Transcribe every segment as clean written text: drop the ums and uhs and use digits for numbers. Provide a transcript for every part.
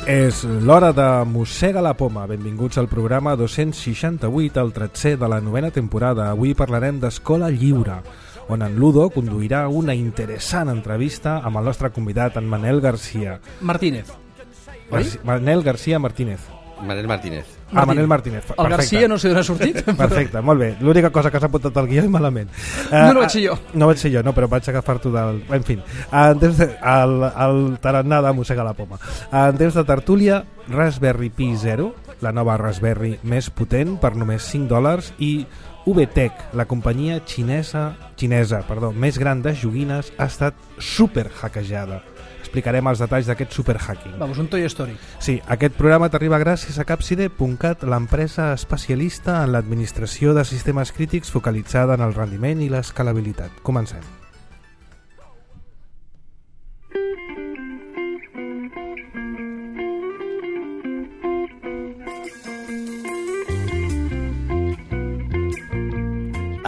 És l'hora de Mossega la Poma. Benvinguts al programa 268, el 13è de la 9a temporada. Avui parlarem d'Escola Lliure, on en Ludo conduirà una interessant entrevista amb el nostre convidat, en Manel García. Martínez. Manel García Martínez. Manel Martínez. Ah, Manel Martínez. El García no sé d'on ha sortit. Perfecte, molt bé. L'única cosa que s'ha apuntat al guió és malament. No vaig ser jo. No vaig ser jo, no, però vaig agafar-t'ho del... En fi, el tarannà de Mossega la Poma. En temps de tertúlia, Raspberry Pi 0, la nova Raspberry més potent per només $5, i VTech, la companyia xinesa, més gran de joguines, ha estat super hackejada. Explicarem els detalls d'aquest superhacking. Vamos, un Toy Story. Sí, aquest programa t'arriba gràcies a Capside.cat, l'empresa especialista en l'administració de sistemes crítics focalitzada en el rendiment i l'escalabilitat. Comencem.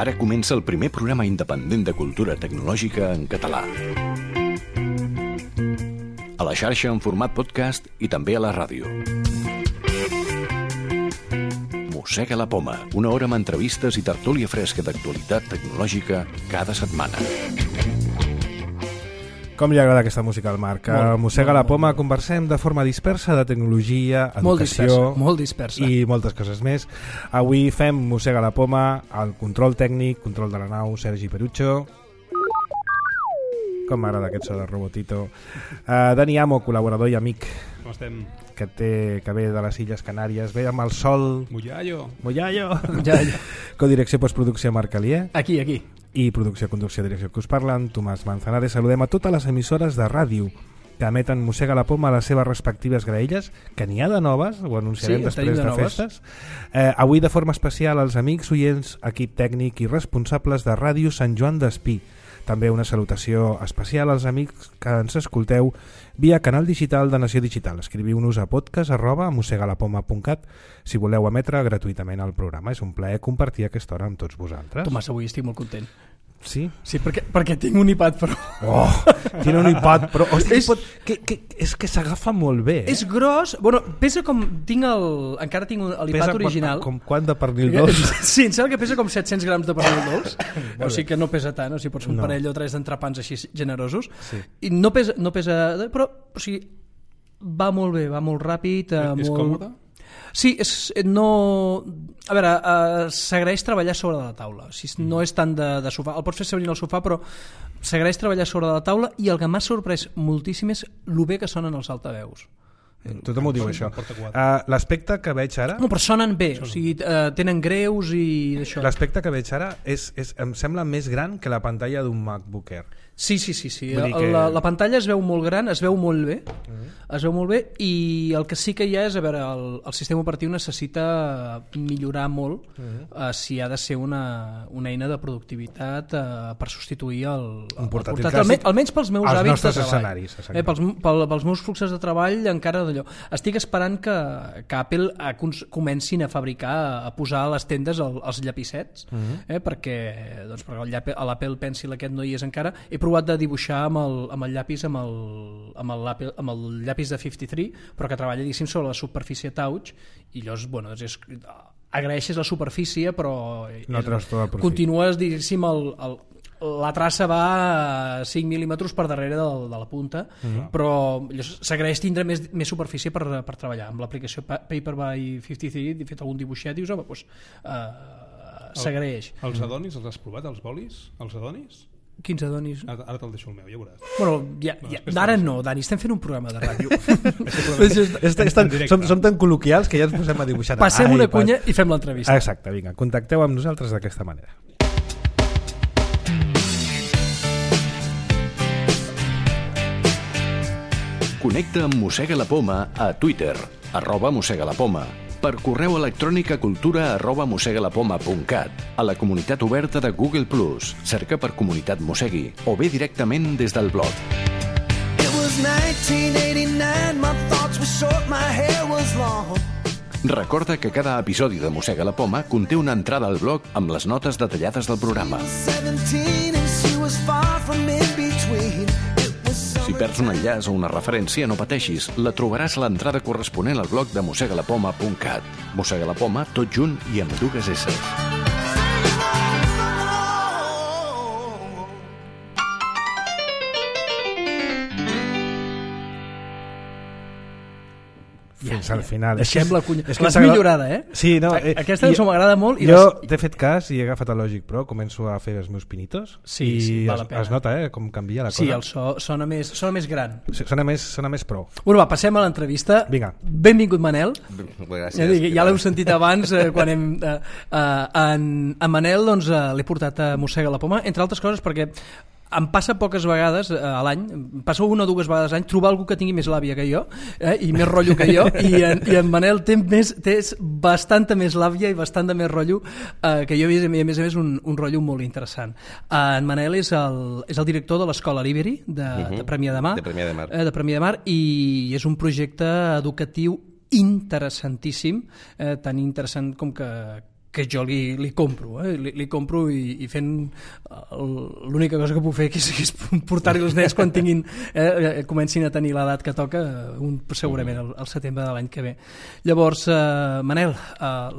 Ara comença el primer programa independent de cultura tecnològica en català. A la xarxa en format podcast i també a la ràdio. Mossega la Poma, una hora amb entrevistes i tertúlia fresca d'actualitat tecnològica cada setmana. Com li agrada aquesta música al Marc? Mossega la Poma, conversem de forma dispersa de tecnologia, educació molt dispersa. I moltes coses més. Avui fem Mossega la Poma, el control tècnic, control de la nau, Sergi Perucho. Com m'agrada aquest so de robotito. Dani Amo, col·laborador i amic. Com estem? Que ve de les Illes Canàries, ve amb el sol. Mullallo. Codirecció postproducció Marc Alier. Aquí. I producció, conducció, direcció que us parlen, Tomàs Manzanares. Saludem a totes les emissores de ràdio que emeten Mossega la Poma a les seves respectives graelles, que n'hi ha de noves, ho anunciarem després de festes. Avui de forma especial als amics, oients, equip tècnic i responsables de Ràdio Sant Joan d'Espí. També una salutació especial als amics que ens escolteu via canal digital de Nació Digital. Escriviu-nos a podcast@mossegalapoma.cat si voleu emetre gratuïtament el programa. És un plaer compartir aquesta hora amb tots vosaltres. Tomàs, avui estic molt content. Sí? Sí, perquè tinc un iPad Pro. Oh, tinc un iPad Pro. Hosti, és que s'agafa molt bé. És gros. Bueno, pesa com... Encara tinc l'iPad original. Com quant de pernil dolç? Sí, em sembla que pesa com 700 grams de pernil dolç. O sigui que no pesa tant. O sigui, pots fer un parell o tres d'entrepans així generosos. Sí. I no pesa... Però, o sigui, va molt bé, va molt ràpid. És còmode? Sí, a veure, s'agraeix treballar sobre la taula. O sigui, no és tant de sofà. El pots fer servir al sofà, però s'agraeix treballar sobre la taula, i el que m'ha sorprès moltíssim és el bé que sonen els altaveus. Tothom ho diu, això. L'aspecte que veig ara... No, però sonen bé, o sigui, tenen greus i això. L'aspecte que veig ara em sembla més gran que la pantalla d'un MacBook Air. Sí. La pantalla es veu molt gran, es veu molt bé, i el que sí que hi ha és, a veure, el sistema operatiu necessita millorar molt si ha de ser una eina de productivitat per substituir el portàtil clàssic, almenys pels meus hàbits de treball. Pels meus fluxos de treball encara d'allò. Estic esperant que Apple comencin a fabricar, a posar a les tendes els llapissets, perquè l'Apple Pencil aquest no hi és encara. He provat de dibuixar amb el llapis amb el llapis de 53, però que treballa, diguéssim, sobre la superfície touch, i llavors, bueno, agraeixes la superfície, però continues, diguéssim, la traça va a 5 mil·límetres per darrere de la punta, però s'agraeix tindre més superfície per treballar. Amb l'aplicació Paper by 53 he fet algun dibuixet i dius, home, doncs s'agraeix. Els adonis els has provat, els bolis? Els adonis? Quins adonis? Ara te'l deixo el meu, ja veuràs. Bueno, ara no, Dani, estem fent un programa de ràdio. Som tan col·loquials que ja ens posem a dibuixar. Passem una cunya i fem l'entrevista. Exacte, vinga, contacteu amb nosaltres d'aquesta manera. Connecta amb Mossega la Poma a Twitter, @mossegalapoma. Per correu electrònic a cultura@mossegalapoma.cat, a la comunitat oberta de Google+, cerca per Comunitat Mossegui, o bé directament des del blog. Recorda que cada episodi de Mossega la Poma conté una entrada al blog amb les notes detallades del programa. Si perds un enllaç o una referència, no pateixis. La trobaràs a l'entrada corresponent al blog de mossegalapoma.cat. Mossega la Poma, tot junt i amb 2 S. Fins al final. Deixem la cunya. L'has millorada, eh? Sí, no, aquesta cançó m'agrada molt. Jo t'he fet cas i he agafat el Logic Pro, començo a fer els meus pinitos sí, val la pena. Es nota, com canvia la cosa. Sí, el so sona més gran. Sona més pro. Bueno, va, passem a l'entrevista. Vinga. Benvingut, Manel. Gràcies. Ja l'heu sentit abans, quan hem... en Manel doncs, l'he portat a Mossega la Poma, entre altres coses perquè em passa poques vegades a l'any, em passa 1 o 2 vegades a l'any, trobar algú que tingui més l'àvia que jo i més rotllo que jo, i en Manel té bastanta més l'àvia i bastant més rotllo que jo, i a més un rotllo molt interessant. En Manel és el director de l'escola Liberi de Premià de Mar, de Premià de Mar, i és un projecte educatiu interessantíssim, tan interessant com que jo li compro, li compro i fent l'única cosa que puc fer és portar-hi els nens quan tinguin comencin a tenir l'edat que toca, segurament al setembre de l'any que ve. Llavors, Manel,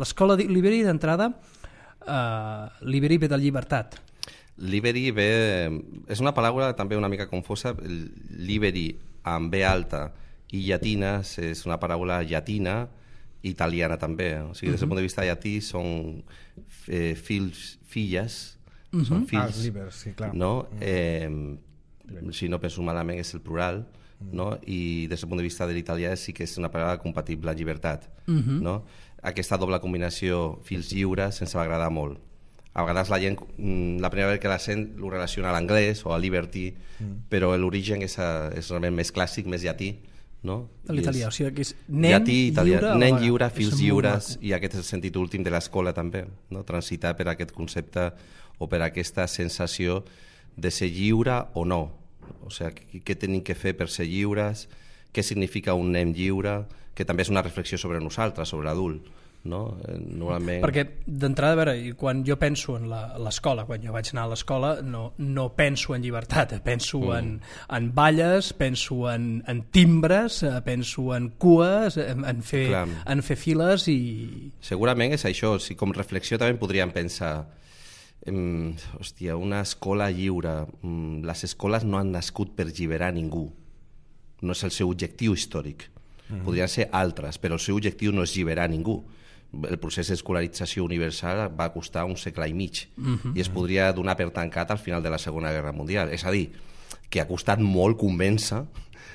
l'escola Liberi d'entrada, Liberi ve de llibertat. Liberi ve... És una paraula també una mica confosa. Liberi amb B alta i llatina és una paraula llatina italiana també, o sigui, des del punt de vista llatí són filles, són fills, libers, sí, clar. No? Si no penso malament és el plural, no? I des del punt de vista de l'italià sí que és una paraula compatible amb llibertat, no? Aquesta doble combinació fills lliures ens va agradar molt. A vegades la gent, la primera vegada que la sent, ho relaciona a l'anglès o a liberty, però l'origen és realment més clàssic, més llatí, no? L'italià, o sigui que és nen lliure, nen lliure, fills lliures, i aquest és el sentit últim de l'escola també, no? Transitar per aquest concepte o per aquesta sensació de ser lliure o no, o sigui, què tenim que fer per ser lliures, què significa un nen lliure, que també és una reflexió sobre nosaltres, sobre l'adult, no? Normalment... Perquè d'entrada, a veure, quan jo penso en l'escola, quan jo vaig anar a l'escola, no penso en llibertat, penso en balles, penso en timbres, penso en cues, en fer files i... Segurament és això, si com reflexió també podríem pensar hòstia, una escola lliure, les escoles no han nascut per alliberar ningú, no és el seu objectiu històric, podrien ser altres, però el seu objectiu no és alliberar ningú. El procés d'escolarització universal va costar un segle i mig i es podria donar per tancat al final de la Segona Guerra Mundial. És a dir, que ha costat molt convèncer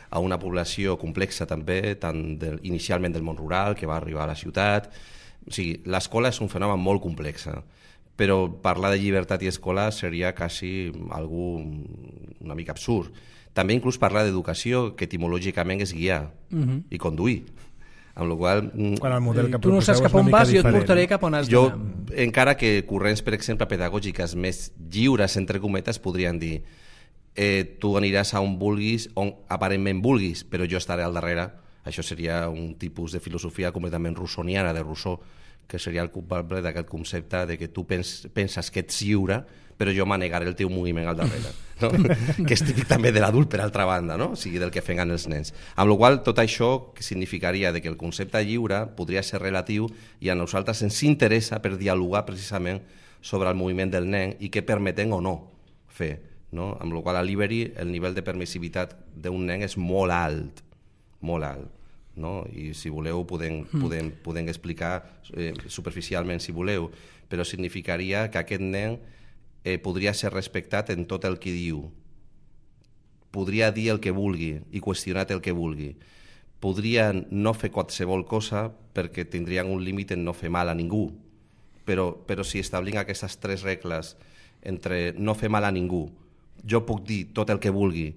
a una població complexa també, inicialment del món rural, que va arribar a la ciutat. O sigui, l'escola és un fenomen molt complex, però parlar de llibertat i escola seria quasi algú una mica absurd. També inclús parlar d'educació, que etimològicament és guiar i conduir. Amb la qual tu no saps cap on vas i jo et portaré cap on has d'anar. Encara que corrents, per exemple, pedagògiques més lliures, entre cometes, podrien dir tu aniràs a on vulguis, on aparentment vulguis, però jo estaré al darrere. Això seria un tipus de filosofia completament rousseauiana, de Rousseau, que seria el culpable d'aquest concepte de que tu penses que ets lliure, però jo manegaré el teu moviment al darrere, no? Que és típic també de l'adult, per altra banda, no? O sigui, del que fengan els nens. Amb la qual tot això significaria que el concepte lliure podria ser relatiu i a nosaltres ens interessa per dialogar precisament sobre el moviment del nen i què permetem o no fer, no? Amb la qual a Liberi el nivell de permissivitat d'un nen és molt alt, no? I si voleu podem explicar superficialment si voleu, però significaria que aquest nen podria ser respectat en tot el que diu, podria dir el que vulgui i qüestionar el que vulgui, podria no fer qualsevol cosa perquè tindrien un límit en no fer mal a ningú, però si establim aquestes 3 regles entre no fer mal a ningú, jo puc dir tot el que vulgui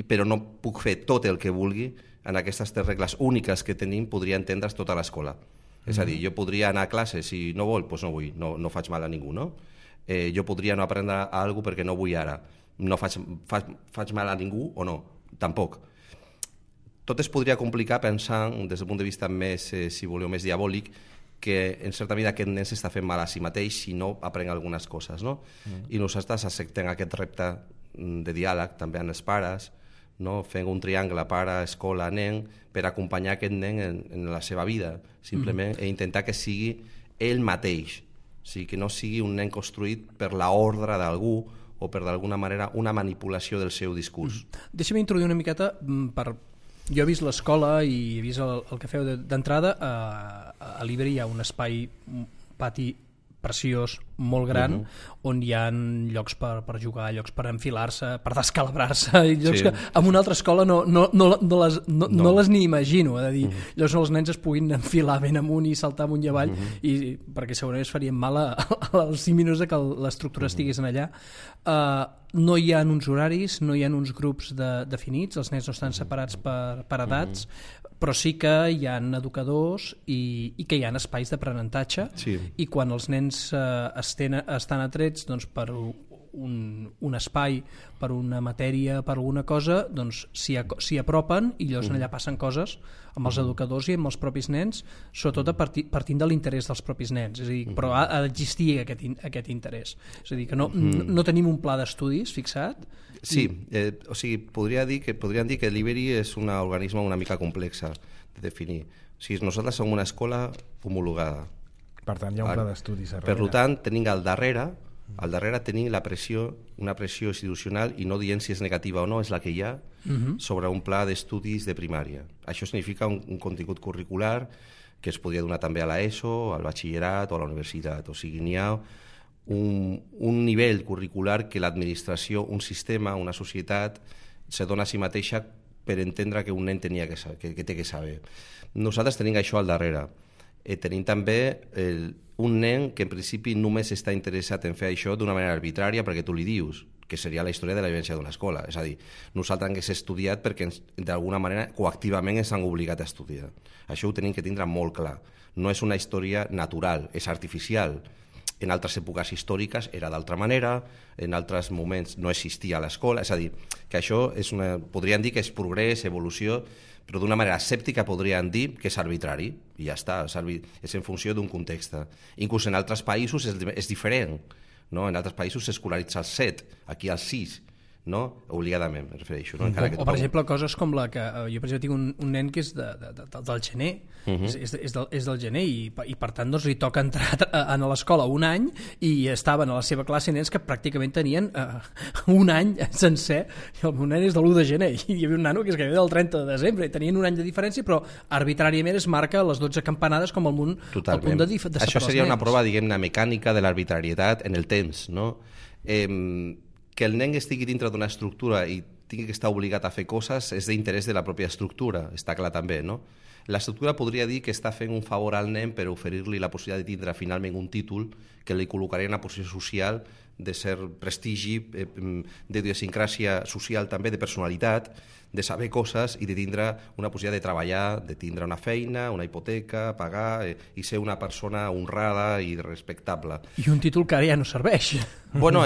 però no puc fer tot el que vulgui, en aquestes 3 regles úniques que tenim podria entendre's tota l'escola. És a dir, jo podria anar a classe, si no vol, doncs no vull, no faig mal a ningú, no? Jo podria no aprendre alguna cosa perquè no vull ara, no faig mal a ningú o no, tampoc. Tot es podria complicar pensant, des del punt de vista més, si voleu, més diabòlic, que en certa mida aquest nen s'està fent mal a si mateix si no aprèn algunes coses, no? I nosaltres acceptem aquest repte de diàleg també amb els pares, no? Fent un triangle pare, escola, nen, per acompanyar aquest nen en la seva vida, simplement, i intentar que sigui ell mateix, o sigui, que no sigui un nen construït per l'ordre d'algú o per d'alguna manera una manipulació del seu discurs. Deixa'm introduir una miqueta Jo he vist l'escola i he vist el que feu d'entrada. A l'Iber hi ha un espai, un pati preciós, molt gran, on hi ha llocs per jugar, llocs per enfilar-se, per descalabrar-se, i llocs que en una altra escola no les ni imagino, de dir, llocs on els nens es puguin enfilar ben amunt i saltar amunt i avall, perquè segurament es farien mal als 5 minuts que l'estructura estigués allà. No hi ha uns horaris, no hi ha uns grups definits, els nens no estan separats per edats, però sí que hi ha educadors i que hi ha espais d'aprenentatge, i quan els nens estan atrets per un espai, per una matèria, per alguna cosa, doncs s'hi apropen i llavors allà passen coses amb els educadors i amb els propis nens, sobretot partint de l'interès dels propis nens. És a dir, però ha d'existir aquest interès. És a dir, que no tenim un pla d'estudis fixat. Sí, o sigui, podríem dir que l'Iberi és un organisme una mica complex de definir. O sigui, nosaltres som una escola homologada. Per tant, hi ha un pla d'estudis darrere. Per tant, tenim al darrere tenim una pressió institucional, i no dient si és negativa o no, és la que hi ha, sobre un pla d'estudis de primària. Això significa un contingut curricular que es podria donar també a l'ESO, al batxillerat o a la universitat. O sigui, n'hi ha un nivell curricular que l'administració, un sistema, una societat, se dona a si mateixa per entendre que un nen té que saber. Nosaltres tenim això al darrere. Tenim també un nen que en principi només està interessat en fer això d'una manera arbitrària perquè tu li dius, que seria la història de la vivència d'una escola. És a dir, nosaltres hem estudiat perquè d'alguna manera coactivament ens han obligat a estudiar. Això ho tenim que tindre molt clar. No és una història natural, és artificial. En altres èpoques històriques era d'altra manera, en altres moments no existia a l'escola, és a dir, que això podríem dir que és progrés, evolució, però d'una manera escèptica podríem dir que és arbitrari, i ja està, és en funció d'un context. Inclús en altres països és diferent, no? En altres països s'escolaritza als 7, aquí als 6, no? Obligadament, em refereixo. No? O per exemple, coses com la que jo per exemple tinc un nen que és del gener, és del gener, i per tant doncs, li toca entrar a l'escola un any, i estaven a la seva classe nens que pràcticament tenien un any sencer, i el meu nen és de l'1 de gener, i hi havia un nano que és gairebé del 30 de desembre, i tenien un any de diferència, però arbitràriament es marca les 12 campanades com el punt de separar els nens. Això seria una prova, diguem-ne, mecànica de l'arbitrarietat en el temps, no? Que el nen estigui dintre d'una estructura i tingui que estar obligat a fer coses és d'interès de la pròpia estructura, està clar també, no? L'estructura podria dir que està fent un favor al nen per oferir-li la possibilitat de tindre finalment un títol que li col·locaria en una posició social de ser prestigi, d'idiosincràsia social també, de personalitat, de saber coses i de tindre una possibilitat de treballar, de tindre una feina, una hipoteca, pagar i ser una persona honrada i respectable. I un títol que ara ja no serveix. Bueno,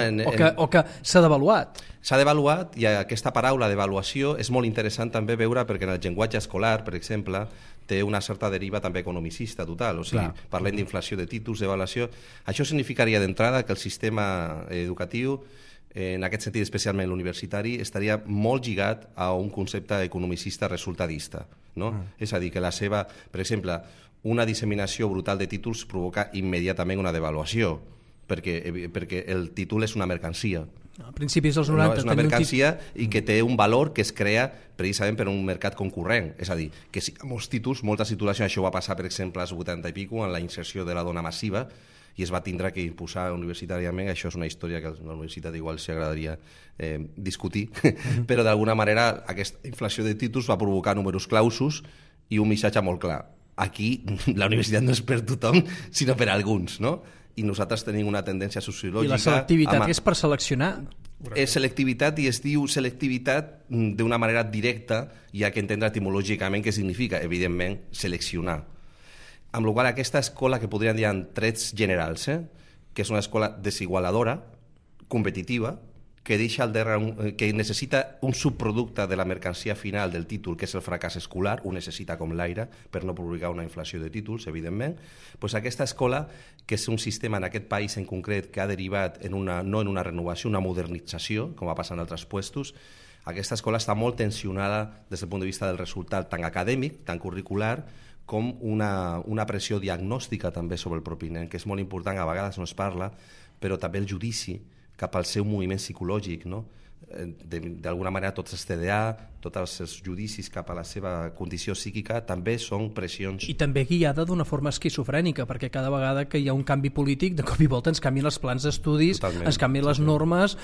o que s'ha devaluat. S'ha devaluat, i aquesta paraula d'avaluació és molt interessant també veure perquè en el llenguatge escolar, per exemple, té una certa deriva també economicista total, o sigui, parlem d'inflació de títols, d'avaluació. Això significaria d'entrada que el sistema educatiu, en aquest sentit especialment l'universitari, estaria molt lligat a un concepte economicista resultadista, no? És a dir, que la seva, per exemple, una disseminació brutal de títols provoca immediatament una devaluació, perquè el títol és una mercancia. A principis dels 90... És una mercancia i que té un valor que es crea precisament per un mercat concurrent. És a dir, que si molts títols, moltes titulacions, això va passar, per exemple, als 80 i pico, en la inserció de la dona massiva, i es va tindre que imposar universitàriament. Això és una història que a la universitat igual s'hi agradaria discutir, però d'alguna manera aquesta inflació de títols va provocar números clausos i un missatge molt clar. Aquí la universitat no és per tothom, sinó per alguns, no? I nosaltres tenim una tendència sociològica... I la selectivitat és per seleccionar. És selectivitat, i es diu selectivitat d'una manera directa, i hi ha que entendre etimològicament què significa, evidentment, seleccionar. Amb la qual cosa, aquesta escola que podríem dir en trets generals, que és una escola desigualadora, competitiva, que deixa al darrere, que necessita un subproducte de la mercancia final del títol, que és el fracàs escolar, ho necessita com l'aire per no provocar una inflació de títols, evidentment. Doncs aquesta escola, que és un sistema en aquest país en concret que ha derivat no en una renovació, una modernització, com va passar en altres puestos, Aquesta escola està molt tensionada des del punt de vista del resultat tant acadèmic, tant curricular, com una pressió diagnòstica també sobre el propi nen, que és molt important, a vegades no es parla, però també el judici cap al seu moviment psicològic, no? D'alguna manera tots els TDA, tots els judicis cap a la seva condició psíquica també són pressions. I també guiada d'una forma esquizofrènica, perquè cada vegada que hi ha un canvi polític, de cop i volta ens canvien els plans d'estudis, ens canvien les normes,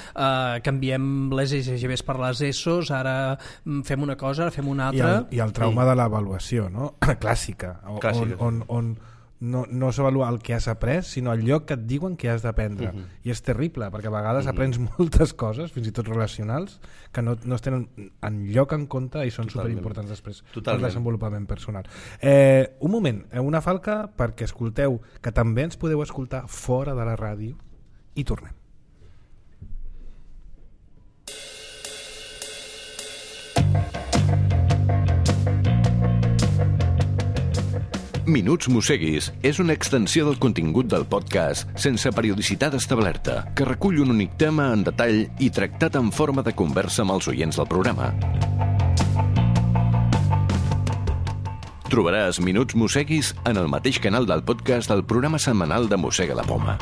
canviem les EGBs per les ESOs, ara fem una cosa, ara fem una altra. I el trauma de l'avaluació, no? Clàssica, on no s'avalua el que has après, sinó el lloc que et diuen que has d'aprendre. I és terrible, perquè a vegades aprens moltes coses, fins i tot relacionals, que no es tenen en lloc en compte i són superimportants després pel desenvolupament personal. Un moment, una falca perquè escolteu, que també ens podeu escoltar fora de la ràdio, i tornem. Minuts Mosseguis és una extensió del contingut del podcast sense periodicitat establerta, que recull un únic tema en detall i tractat en forma de conversa amb els oients del programa. Trobaràs Minuts Mosseguis en el mateix canal del podcast del programa setmanal de Mossega la Poma.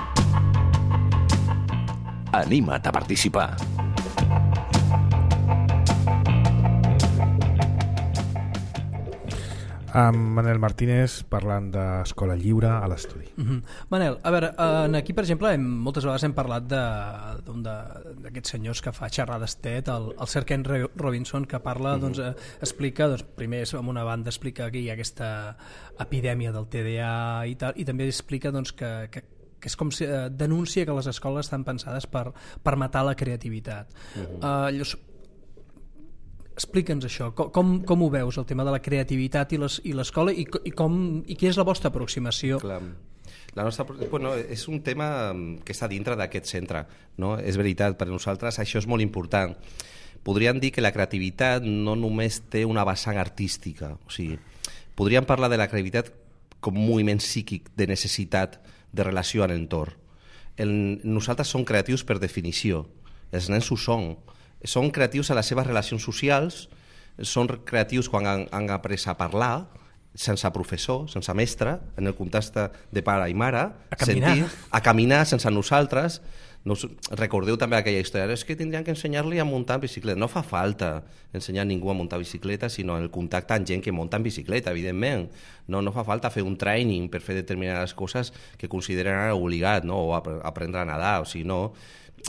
Anima't a participar! Amb Manel Martínez parlant d'Escola Lliure a l'estudi. Manel, a veure, aquí per exemple moltes vegades hem parlat d'aquests senyors que fa xerrades TED, el Sir Ken Robinson, que parla, explica, primer amb una banda explica que hi ha aquesta epidèmia del TDA i tal, i també explica que és com si denuncia que les escoles estan pensades per matar la creativitat. Explica'ns això, com ho veus, el tema de la creativitat i l'escola, i quina és la vostra aproximació? Clar. La nostra, és un tema que està dintre d'aquest centre, no? És veritat, per nosaltres això és molt important. Podríem dir que la creativitat no només té una vessant artística, o sigui, podríem parlar de la creativitat com un moviment psíquic de necessitat de relació amb l'entorn. Nosaltres som creatius per definició, els nens ho són creatius a les seves relacions socials, són creatius quan han après a parlar, sense professor, sense mestre, en el context de pare i mare, a caminar sense nosaltres. Recordeu també aquella història, és que tindrien que ensenyar-li a muntar en bicicleta. No fa falta ensenyar ningú a muntar bicicleta, sinó el contacte amb gent que munta en bicicleta, evidentment. No fa falta fer un training per fer determinades coses que consideren obligat, no? O aprendre a nedar, o sigui, no.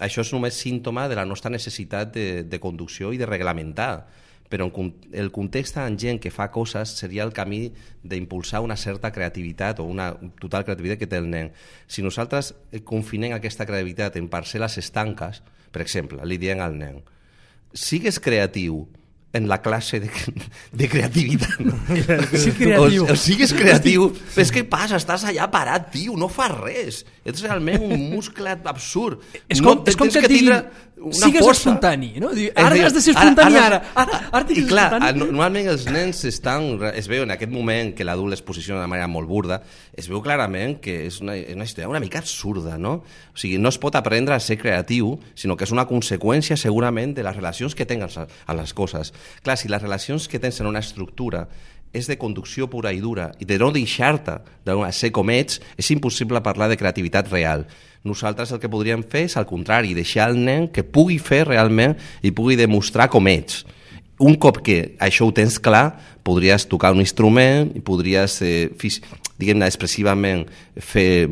Això és només símptoma de la nostra necessitat de conducció i de reglamentar, però el context en gent que fa coses seria el camí d'impulsar una certa creativitat o una total creativitat que té el nen. Si nosaltres confinem aquesta creativitat en parcel·les estanques, per exemple, li diem al nen, sigues creatiu en la classe de creativitat. No? Sí, creatiu. O sigues creatiu. Però és que passa, estàs allà parat, tio, no fas res. Ets realment un muscle absurd. És com que et diguin, sigues espontani. No? Ara has de ser espontani, ara. I clar, normalment els nens es veu en aquest moment que l'adult es posiciona de manera molt burda, es veu clarament que és una història una mica absurda, no? O sigui, no es pot aprendre a ser creatiu, sinó que és una conseqüència segurament de les relacions que tens a les coses. Clar, si les relacions que tens en una estructura és de conducció pura i dura i de no deixar-te de ser com ets, és impossible parlar de creativitat real. Nosaltres el que podríem fer és al contrari, deixar el nen que pugui fer realment i pugui demostrar com ets. Un cop que això ho tens clar, podries tocar un instrument i podries, diguem-ne, expressivament fer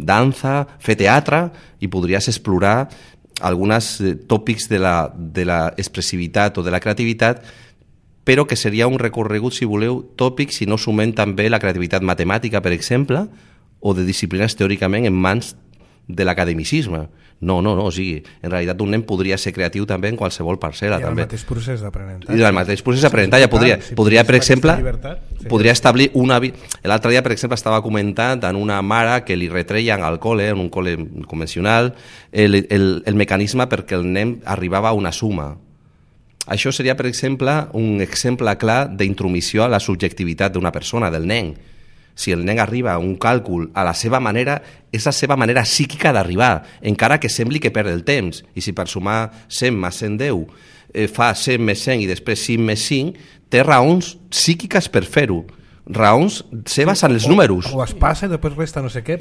dansa, fer teatre i podries explorar alguns tòpics de la expressivitat o de la creativitat, però que seria un recorregut, si voleu, tòpic si no sumem també la creativitat matemàtica, per exemple, o de disciplines teòricament en mans de l'academicisme. No, o sigui, en realitat un nen podria ser creatiu també en qualsevol parcel·la. I també. El mateix procés d'aprenentatge. I el mateix procés d'aprenentatge podria, per exemple, podria establir una... L'altre dia, per exemple, estava comentant en una mare que li retreien al col·le, en un col·le convencional, el mecanisme perquè el nen arribava a una suma. Això seria, per exemple, un exemple clar d'intromissió a la subjectivitat d'una persona, del nen. Si el nen arriba a un càlcul a la seva manera, és la seva manera psíquica d'arribar, encara que sembli que perd el temps. I si per sumar 100 més 110 fa 100 més 100 i després 5 més 5, té raons psíquiques per fer-ho. Raons seves en els números. O es passa i després resta no sé què.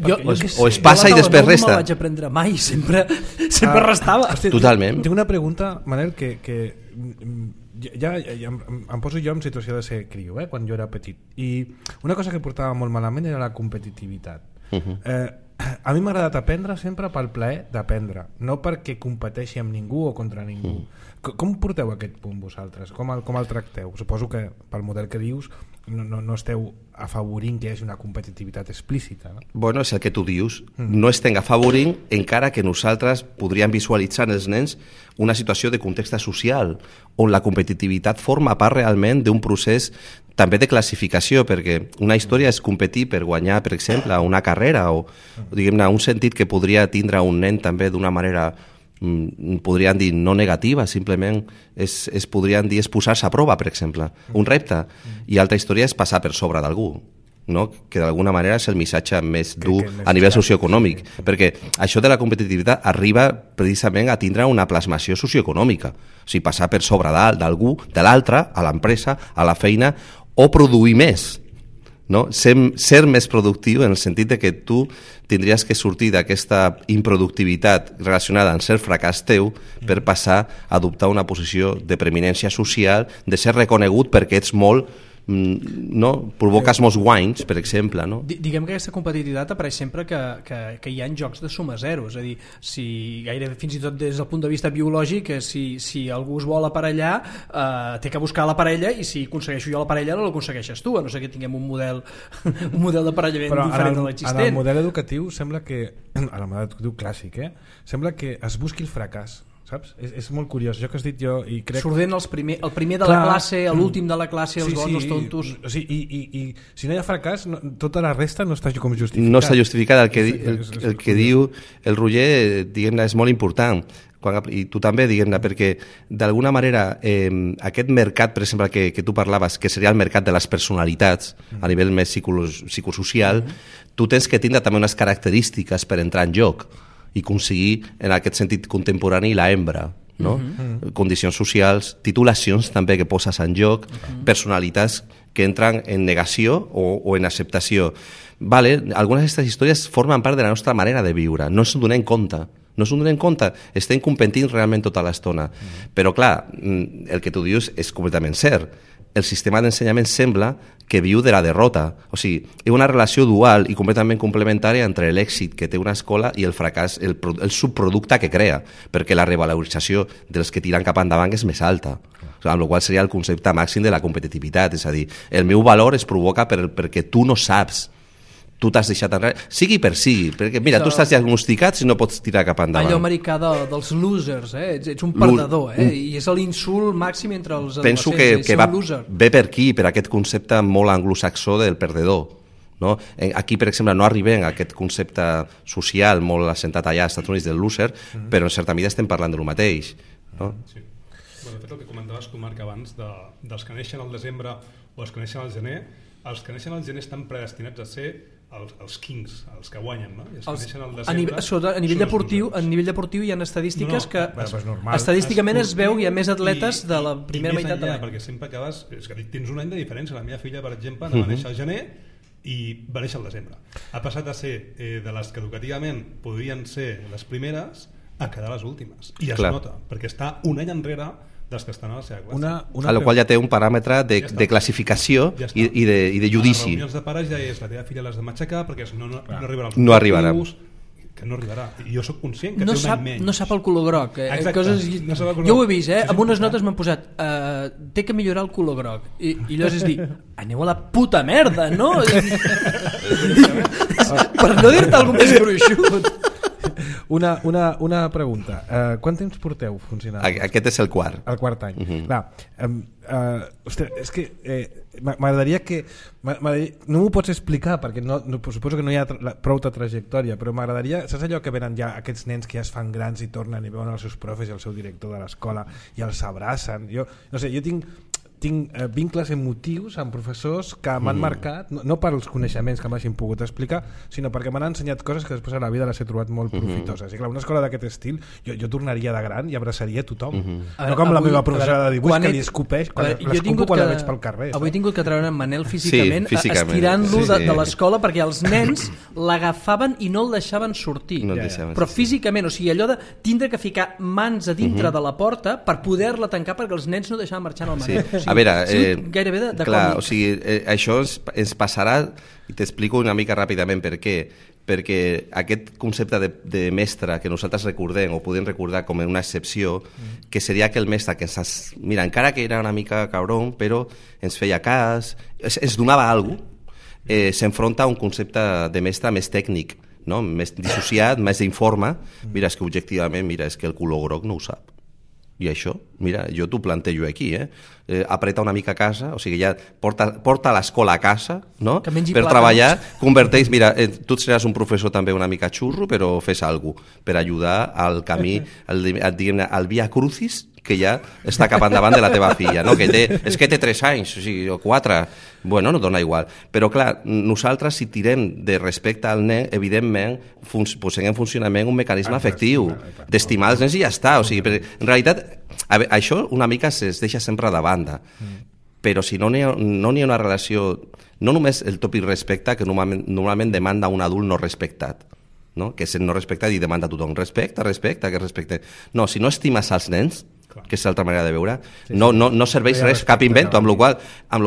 O es passa i després resta. No me vaig aprendre mai, sempre restava. Totalment. Tinc una pregunta, Manel, que ja em poso jo en situació de ser criu, quan jo era petit. I una cosa que portava molt malament era la competitivitat. A mi m'ha agradat aprendre sempre pel plaer d'aprendre, no perquè competeixi amb ningú o contra ningú. Com porteu aquest punt vosaltres? Com el tracteu? Suposo que pel model que dius no esteu afavorint que hi hagi una competitivitat explícita, no? Bueno, és el que tu dius. No estem afavorint, encara que nosaltres podríem visualitzar en els nens una situació de context social on la competitivitat forma part realment d'un procés també de classificació, perquè una història és competir per guanyar, per exemple, una carrera o, diguem-ne, un sentit que podria tindre un nen també d'una manera, podrien dir no negativa, simplement es podrien dir és posar-se a prova, per exemple, un repte, i altra història és passar per sobre d'algú, no? Que d'alguna manera és el missatge més dur a nivell socioeconòmic, perquè això de la competitivitat arriba precisament a tindre una plasmació socioeconòmica, o sigui, passar per sobre d'algú, de l'altre, a l'empresa, a la feina, o produir més, no? Ser més productiu en el sentit de que tu tindries que sortir d'aquesta improductivitat relacionada amb ser fracàs teu per passar a adoptar una posició de preeminència social, de ser reconegut perquè ets molt, no? Provoques molts guanys, per exemple, no? Diguem que aquesta competitivitat apareix sempre que hi ha jocs de suma zero, és a dir, si gairebé fins i tot des del punt de vista biològic, si algú es vol aparellar, té que buscar la parella, i si aconsegueixo jo la parella no l'aconsegueixes tu, a no ser que tinguem un model d'aparellament diferent de l'existent. En el model educatiu sembla que, en el model educatiu clàssic, sembla que es busqui el fracàs, saps? És molt curiós, això que has dit jo, i crec... Sortint el primer de la classe, l'últim de la classe, els bons, els tontos... I si no hi ha fracàs, tota la resta no està com justificat. No està justificat. El que diu el Roger, diguem-ne, és molt important, i tu també, diguem-ne, perquè d'alguna manera aquest mercat, per exemple, que tu parlaves, que seria el mercat de les personalitats a nivell més psicosocial, tu tens que tindre també unes característiques per entrar en joc i aconseguir, en aquest sentit contemporani, la hembra, no? Condicions socials, titulacions també que poses en joc, personalitats que entren en negació o en acceptació. Vale, algunes d'aquestes històries formen part de la nostra manera de viure, no s'ho donem compte. Estem competint realment tota l'estona. Però clar, el que tu dius és completament cert. El sistema d'ensenyament sembla que viu de la derrota. O sigui, hi ha una relació dual i completament complementària entre l'èxit que té una escola i el fracàs, el subproducte que crea, perquè la revalorització dels que tiren cap endavant és més alta. O sigui, amb la qual seria el concepte màxim de la competitivitat. És a dir, el meu valor es provoca perquè tu no saps, tu t'has deixat enrere, sigui per sigui, perquè mira, tu estàs diagnosticat si no pots tirar cap endavant. Allò americà dels losers, ets un perdedor, i és l'insult màxim entre els adolescents. Penso que ve per aquí, per aquest concepte molt anglosaxó del perdedor. No? Aquí, per exemple, no arribem a aquest concepte social molt assentat allà als Estats Units del loser, però en certa mida estem parlant del mateix. No? Sí. Bueno, de fet, el que comentaves tu, Marc, abans dels que neixen al desembre o els que neixen al gener, els que neixen al gener estan predestinats a ser els kings, els que guanyen, no? I els que neixen al desembre, a nivell deportiu hi ha estadístiques que estadísticament es veu que hi ha més atletes de la primera meitat de l'any. Perquè sempre acabes, és que tens un any de diferència. La meva filla, per exemple, va néixer al gener i va néixer al desembre. Ha passat a ser de les que educativament podrien ser les primeres a quedar les últimes. I es nota, perquè està un any enrere dels que estan a la seva classe. A la qual ja té un paràmetre de classificació i de judici. A les reunions de pares ja és la teva filla l'has de matxacar perquè no arribarà als no arribarà. Que no arribarà. I jo sóc conscient que té un any menys. No sap el color groc. Jo ho he vist, amb unes notes m'han posat té que millorar el color groc. I llavors és dir, aneu a la puta merda, no? Per no dir-te alguna més gruixut. Una pregunta. Quant temps porteu funcionant? Aquest és el quart. El quart any. Clar, ostres, és que m'agradaria que... No m'ho pots explicar, perquè suposo que no hi ha prou de trajectòria, però m'agradaria... Saps allò que venen ja aquests nens que ja es fan grans i tornen i veuen els seus profes i el seu director de l'escola i els abracen? Jo no sé, jo tinc tinc vincles emotius amb professors que m'han marcat, no pels coneixements que m'hagin pogut explicar, sinó perquè m'han ensenyat coses que després a la vida les he trobat molt profitoses. I clar, una escola d'aquest estil, jo tornaria de gran i abraçaria tothom. No com la meva professora de dibuix que li escopeix, l'escupo quan la veig pel carrer. Avui he tingut que treure en Manel físicament estirant-lo de l'escola perquè els nens l'agafaven i no el deixaven sortir. Però físicament, o sigui, allò de tindre que ficar mans a dintre de la porta per poder-la tancar perquè els nens no deixaven marxar al Manel. A veure, gairebé de clar, còmic. o sigui, això ens passarà, i t'explico una mica ràpidament per què. Perquè aquest concepte de mestre que nosaltres recordem o podem recordar com una excepció, que seria aquell mestre que mira, encara que era una mica cabron, però ens feia cas, ens donava alguna cosa, s'enfronta a un concepte de mestre més tècnic, no? Més dissociat, més d'informe. Mira, és que objectivament, mira, és que el color groc no ho sap. I això, mira, jo t'ho plantejo aquí, apreta una mica a casa, o sigui, ja porta l'escola a casa, no? Per treballar, converteix, mira, tu seràs un professor també una mica xurro, però fes alguna cosa per ajudar al camí, al via crucis que ja està cap endavant de la teva filla, no? És que té 3 anys, o sigui, o 4, bueno, no dona igual. Però clar, nosaltres si tirem de respecte al nen, evidentment posem en funcionament un mecanisme efectiu d'estimar els nens i ja està. O sigui, en realitat, això una mica es deixa sempre de banda, però si no n'hi ha una relació, no només el tòpic respecte que normalment demanda un adult no respectat, no? Que és el no respectat i demanda a tothom respecte, que respecte. No, si no estimes els nens, que és l'altra manera de veure, no serveix res, cap invent, amb la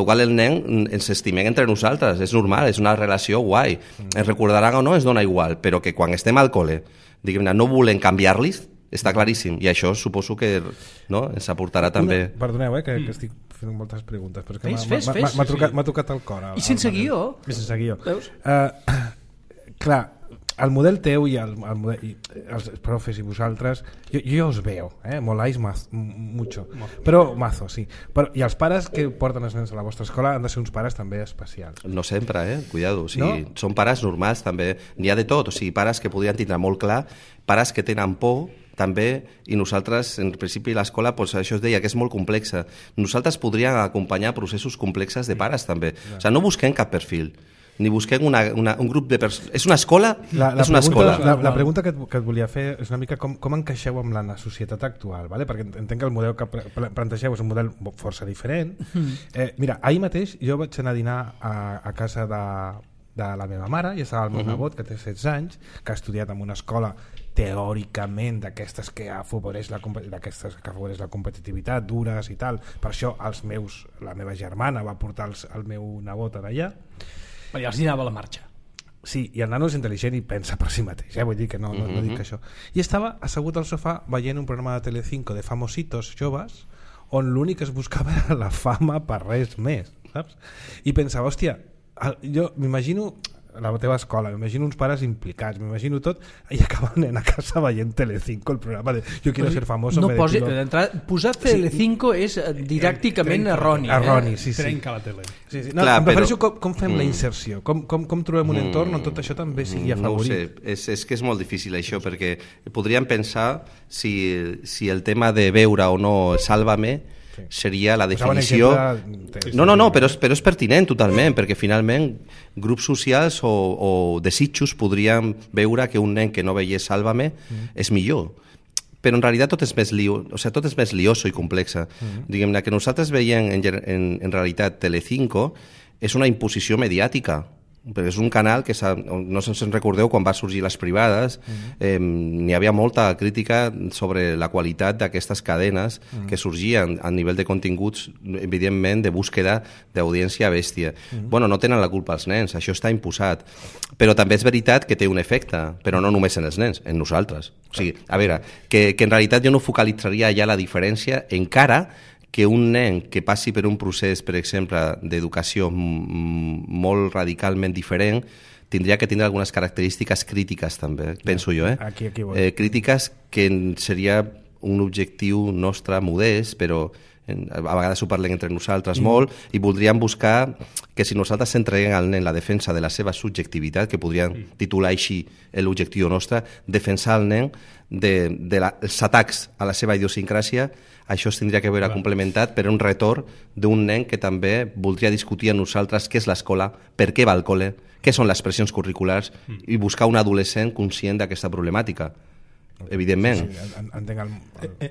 qual el nen ens estimem entre nosaltres, és normal, és una relació guai, ens recordaran o no, ens dona igual, però que quan estem al col·le, diguem-ne, no volem canviar-los, està claríssim, i això suposo que ens aportarà també... Perdoneu, que estic fent moltes preguntes, però és que m'ha tocat el cor. I sense guió. I sense guió. Clar, el model teu i els profes i vosaltres, jo us veo, moláis mucho, però mazo, sí. I els pares que porten els nens a la vostra escola han de ser uns pares també especials. No sempre, cuidado, o sigui, no? Són pares normals també, n'hi ha de tot, o sigui, pares que podrien tindre molt clar, pares que tenen por també, i nosaltres, en principi, l'escola, doncs, això es deia que és molt complexa. Nosaltres podríem acompanyar processos complexes de pares també, o sigui, no busquem cap perfil, ni busquem un grup de persones. És una escola? És una escola. La pregunta que et volia fer és una mica com encaixeu amb la societat actual, ¿vale? Perquè entenc que el model que plantegeu és un model força diferent. Mira, ahir mateix jo vaig anar a dinar a casa de la meva mare, i estava el meu nebot, que té 16 anys, que ha estudiat en una escola teòricament d'aquestes que afavoreix la competitivitat, dures i tal. Per això la meva germana va portar el meu nebot d'allà. I els dinava a la marxa. Sí, i el nano és intel·ligent i pensa per si mateix, vull dir que no dic això. I estava assegut al sofà veient un programa de Telecinco de famositos joves on l'únic que es buscava era la fama per res més, saps? I pensava, hòstia, jo m'imagino la teva escola, m'imagino uns pares implicats, m'imagino tot, i acaba el nen a casa veient Telecinco, el programa de jo quiero ser famoso. No posar Telecinco és didàcticament erroni. Erroni, sí. Trenca la tele. No, em refereixo com fem la inserció, com trobem un entorn on tot això també sigui afavorit. No ho sé, és que és molt difícil això, perquè podríem pensar si el tema de veure o no Sálvame seria la definició... No, però és pertinent totalment, perquè finalment grups socials o desitjos podrien veure que un nen que no veiés Sálvame és millor. Però en realitat tot és més lioso i complexa. Diguem-ne que nosaltres veiem en realitat Telecinco és una imposició mediàtica, perquè és un canal que no sé si ens recordeu quan va sorgir les privades, n'hi havia molta crítica sobre la qualitat d'aquestes cadenes que sorgien a nivell de continguts, evidentment de búsqueda d'audiència bèstia. Bueno, no tenen la culpa els nens, això està imposat, però també és veritat que té un efecte, però no només en els nens, en nosaltres. O sigui, a veure, que en realitat jo no focalitzaria ja la diferència, encara que un nen que passi per un procés, per exemple, d'educació molt radicalment diferent, tindria que tindre algunes característiques crítiques també, penso jo. Aquí crítiques que seria un objectiu nostre modest, però a vegades ho parlem entre nosaltres molt, i voldríem buscar que si nosaltres entreguem al nen la defensa de la seva subjectivitat, que podríem titular així l'objectiu nostre, defensar el nen dels atacs a la seva idiosincràsia, això es tindria que veure complementat per un retorn d'un nen que també voldria discutir amb nosaltres què és l'escola, per què va al col·le, què són les pressions curriculars, i buscar un adolescent conscient d'aquesta problemàtica. Evidentment.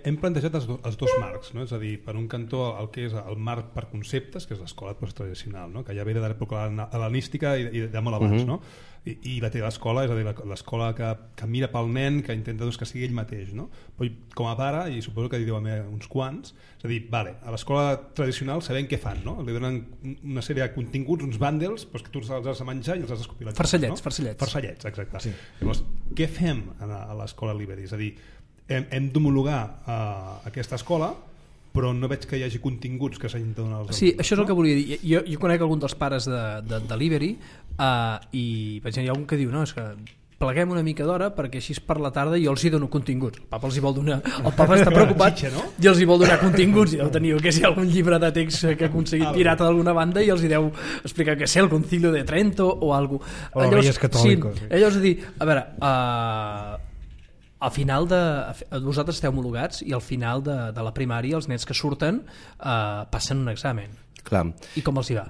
Hem plantejat els dos marcs, no? És a dir, per un cantó el que és el marc per conceptes, que és l'escola tradicional, no? Que ja ve de l'època hel·lenística i de molt abans, no? I la teva escola, és a dir, l'escola que mira pel nen, que intenta que sigui ell mateix, no? Però com a pare, i suposo que direu a mi uns quants, és a dir, vale, a l'escola tradicional sabem què fan, no? Li donen una sèrie de continguts, uns bàndels, però que tu els has de menjar i els has d'escopir. Farcellets, farcellets, exacte. Sí. Llavors, què fem a l'escola Liberi? És a dir, hem d'homologar aquesta escola, però no veig que hi hagi continguts que s'hagin de donar als Sí, això és el que volia dir. Jo conec algun dels pares de Liberi i per exemple, hi ha un que diu no, és que pleguem una mica d'hora perquè així per la tarda jo els hi dono continguts. El papa els hi vol donar, el papa està preocupat i els hi vol donar continguts, i deu tenir que si hi ha algun llibre de text que ha aconseguit pirata d'alguna banda i els hi deu explicar que sé el Concilio de Trento o alguna cosa. O Reyes Catòlicos. Sí, llavors dir, a veure, al final vosaltres esteu homologats i al final de la primària els nens que surten passen un examen. Clar. I com els hi va?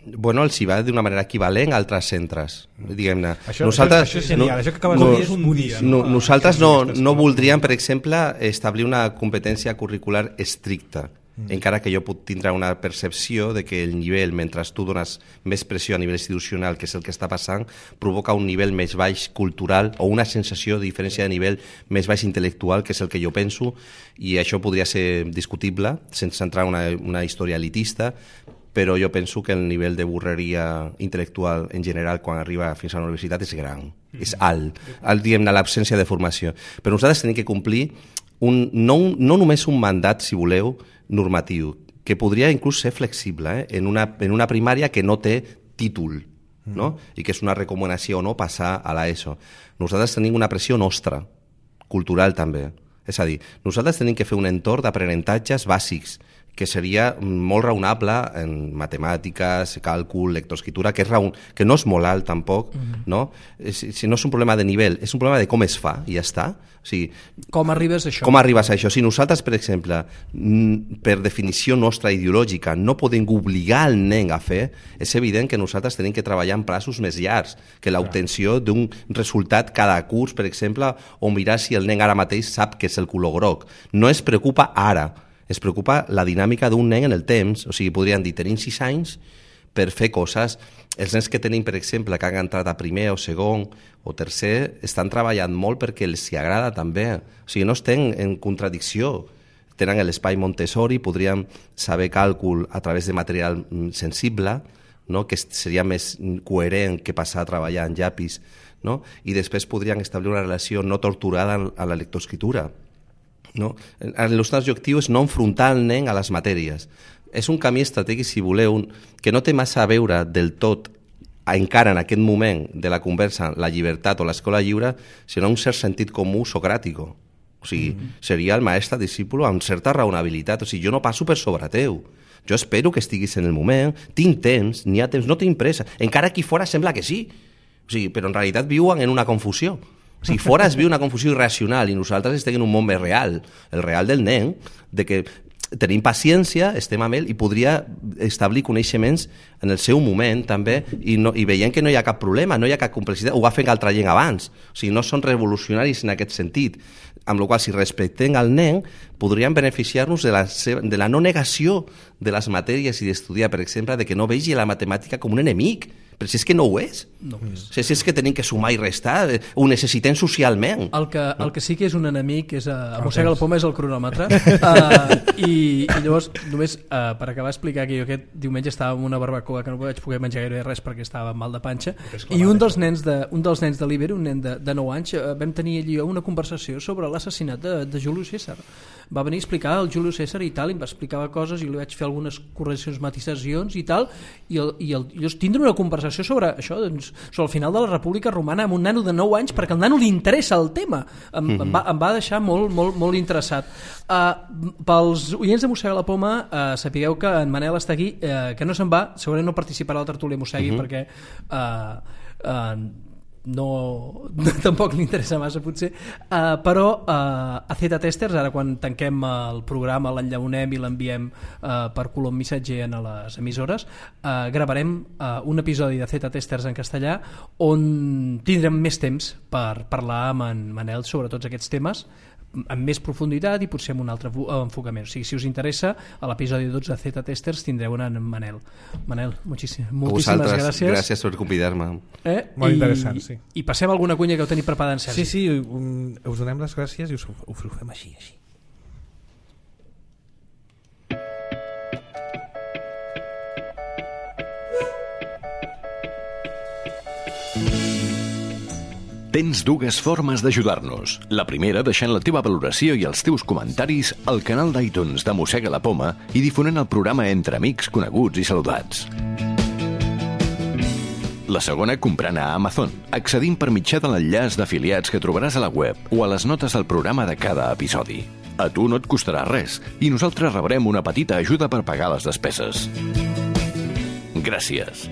Bueno, els hi va d'una manera equivalent a altres centres, diguem-ne. Això és genial, això que acabes de dir és un dia. Nosaltres no voldríem, per exemple, establir una competència curricular estricta, encara que jo puc tindre una percepció de que el nivell, mentre tu dones més pressió a nivell institucional, que és el que està passant, provoca un nivell més baix cultural o una sensació de diferència de nivell més baix intel·lectual, que és el que jo penso, i això podria ser discutible, sense entrar en una història elitista, però jo penso que el nivell de burreria intel·lectual en general quan arriba fins a la universitat és gran, és alt, diguem-ne, l'absència de formació. Però nosaltres tenim que complir no només un mandat, si voleu, normatiu, que podria inclús ser flexible en una primària que no té títol, no? I que és una recomanació o no passar a l'ESO. Nosaltres tenim una pressió nostra, cultural també. És a dir, nosaltres tenim que fer un entorn d'aprenentatges bàsics, que seria molt raonable en matemàtiques, càlcul, lectoescritura, que no és molt alt tampoc, no? Si no és un problema de nivell, és un problema de com es fa i ja està. O sigui, com arribes a això? Com arribes a això? Si nosaltres, per exemple, per definició nostra ideològica, no podem obligar el nen a fer, és evident que nosaltres tenim que treballar en plaços més llargs que l'obtenció d'un resultat cada curs, per exemple, o mirar si el nen ara mateix sap que és el color groc. No es preocupa ara, es preocupa la dinàmica d'un nen en el temps. O sigui, podríem dir, tenim 6 anys per fer coses. Els nens que tenim, per exemple, que han entrat a primer o segon o tercer, estan treballant molt perquè els hi agrada també. O sigui, no estem en contradicció. Tenen l'espai Montessori, podríem saber càlcul a través de material sensible, no? Que seria més coherent que passar a treballar en llapis, no? I després podrien establir una relació no torturada a la lectoescritura. No? El nostre objectiu és no enfrontar el nen a les matèries. És un camí estratègic, si voleu, que no té massa a veure del tot encara en aquest moment de la conversa la llibertat o l'escola lliure, sinó un cert sentit comú socràtico. O sigui, seria el mestre-discípulo amb certa raonabilitat. O sigui, jo no passo per sobre teu. Jo espero que estiguis en el moment, tinc temps, n'hi ha temps, no tinc pressa. Encara aquí fora sembla que sí. O sigui, però en realitat viuen en una confusió. O sigui, fora es viu una confusió irracional i nosaltres estem en un món més real, el real del nen, de que tenim paciència, estem amb ell i podria establir coneixements en el seu moment també i veient que no hi ha cap problema, no hi ha cap complexitat, ho va fer altra gent abans, o sigui, no són revolucionaris en aquest sentit, amb la qual si respectem al nen podríem beneficiar-nos de la no negació de les matèries i d'estudiar, per exemple, de que no vegi la matemàtica com un enemic, però si és que no ho és. No ho és. Si és que tenim que sumar i restar, ho necessitem socialment. El que sí que és un enemic és mossega la poma és el cronòmetre. I llavors, només per acabar d'explicar que jo aquest diumenge estava en una barbacoa que no vaig poder menjar gaire res perquè estava mal de panxa, i un dels nens de l'Iber, un nen de 9 anys, vam tenir allí una conversació sobre l'assassinat de Julius César. va venir a explicar el Julio César i tal, i em va explicar coses i li vaig fer algunes correccions, matisacions i tal, i jo tindré una conversació sobre això, doncs, sobre el final de la República Romana amb un nano de 9 anys, perquè al nano li interessa el tema. Em va deixar molt interessat. Pels oients de Mossega la Poma, sapigueu que en Manel està aquí, que no se'n va, segurament no participarà a la tertúlia Mossegui perquè tampoc li interessa massa potser, però a Zeta Testers, ara quan tanquem el programa l'enllaonem i l'enviem per colom missatger a les emissores, gravarem un episodi de Zeta Testers en castellà on tindrem més temps per parlar amb en Manel sobre tots aquests temes amb més profunditat i potser amb un altre enfocament. O sigui, si us interessa, a l'episodi 12 de Zeta Testers tindreu en Manel. Manel, moltíssimes gràcies. Gràcies per convidar-me. Molt interessant, sí. I passem alguna cunya que heu tenit preparada en Sergi. Sí, us donem les gràcies i us ho fem així. Tens dues formes d'ajudar-nos. La primera, deixant la teva valoració i els teus comentaris al canal d'iTunes de Mossega la Poma i difonent el programa entre amics, coneguts i saludats. La segona, comprant a Amazon, accedint per mitjà de l'enllaç d'afiliats que trobaràs a la web o a les notes del programa de cada episodi. A tu no et costarà res i nosaltres rebrem una petita ajuda per pagar les despeses. Gràcies.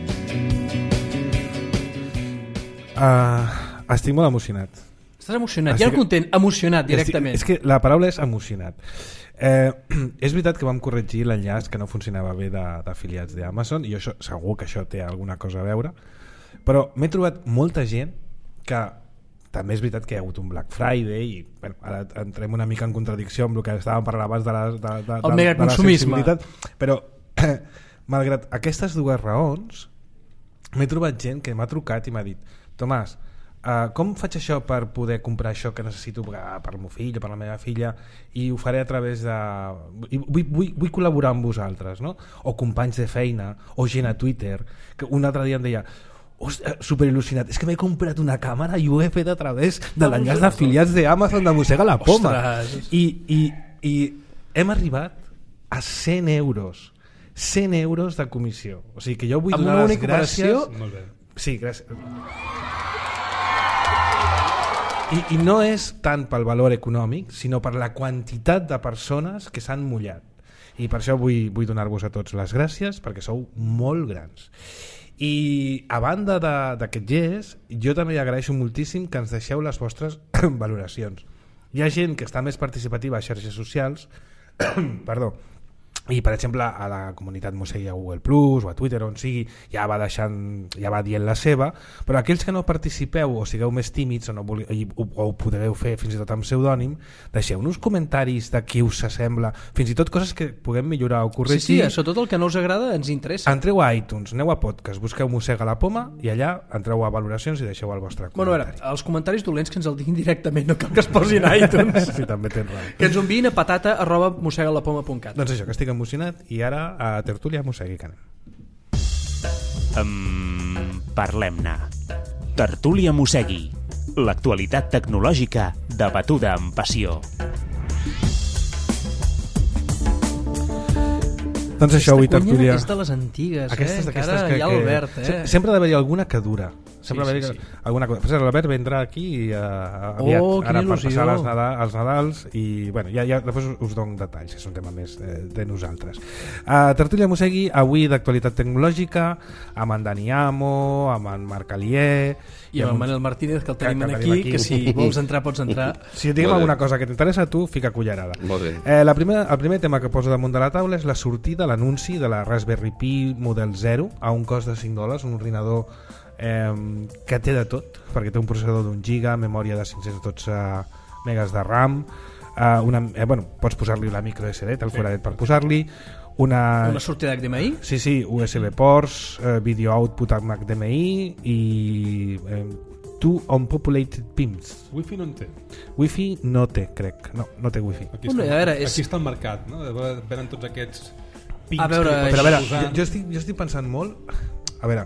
Estic molt emocionat. Estàs emocionat, ja el content, emocionat directament. És que la paraula és emocionat. És veritat que vam corregir l'enllaç que no funcionava bé d'afiliats d'Amazon i això, segur que això té alguna cosa a veure, però m'he trobat molta gent que també és veritat que hi ha hagut un Black Friday i ara entrem una mica en contradicció amb el que estàvem parlant abans el megaconsumisme, però malgrat aquestes dues raons m'he trobat gent que m'ha trucat i m'ha dit: Tomàs, com faig això per poder comprar això que necessito per el meu fill o per la meva filla, i ho faré a través de... Vull col·laborar amb vosaltres, no? O companys de feina o gent a Twitter que un altre dia em deia: superil·lusionat, és que m'he comprat una càmera i ho he fet a través de l'enllaç d'afiliats d'Amazon de Mossega la Poma. I hem arribat a 100 euros 100 euros de comissió, o sigui que jo vull donar les gràcies. Molt bé. Sí, gràcies. I no és tant pel valor econòmic, sinó per la quantitat de persones que s'han mullat. I per això vull donar-vos a tots les gràcies, perquè sou molt grans. I a banda d'aquest gest, jo també agraeixo moltíssim que ens deixeu les vostres valoracions. Hi ha gent que està més participativa a xarxes socials, perdó, i per exemple a la comunitat Mossegui a Google Plus o a Twitter, on sigui, ja va dient la seva, però aquells que no participeu o sigueu més tímids o ho podreu fer fins i tot amb pseudònim, deixeu-nos comentaris de qui us s'assembla, fins i tot coses que puguem millorar o corregir. Sí, sobretot el que no us agrada ens interessa. Entreu a iTunes, aneu a podcast, busqueu Mossega la Poma i allà entreu a valoracions i deixeu el vostre comentari. Bueno, a veure, els comentaris dolents que ens el diguin directament, no cal que es posin a iTunes. Sí, també tens raó. Que ens enviïn a patata@mossegalapoma.cat. Doncs això, que estic emocionat, i ara a tertúlia Mossegui que anem. Parlem-ne. Tertúlia Mossegui. L'actualitat tecnològica debatuda amb passió. Doncs això, avui tertúlia... És de les antigues, aquestes encara hi ha l'Albert. Sempre ha d'haver-hi alguna que dura. Sempre sí. Alguna cosa. Per cert, l'Albert vindrà aquí aviat, ara per passar els Nadals, i bueno, ja després us dono detalls, que és un tema més de nosaltres. Tertúlia Mossegui, avui d'actualitat tecnològica, amb en Dani Amo, amb en Marc Alier i amb en Manel Martínez, que el tenim aquí, que si vols entrar pots entrar. Si diguem alguna cosa que t'interessa a tu, fica cullerada. Molt bé. El primer tema que poso damunt de la taula és la sortida, l'anunci de la Raspberry Pi Model 0 a un cost de $5, un ordinador que té de tot, perquè té un processador d'1 giga, memòria de 512 megas de RAM, pots posar-li la micro SD, té el foradet per posar-li, una sortida HDMI? Sí, USB ports, video output amb HDMI i two unpopulated pins. Wi-Fi no en té? Wi-Fi no té, crec. No té Wi-Fi. Aquí està el mercat, no? Venen tots aquests pins. A veure, jo estic pensant molt... A veure,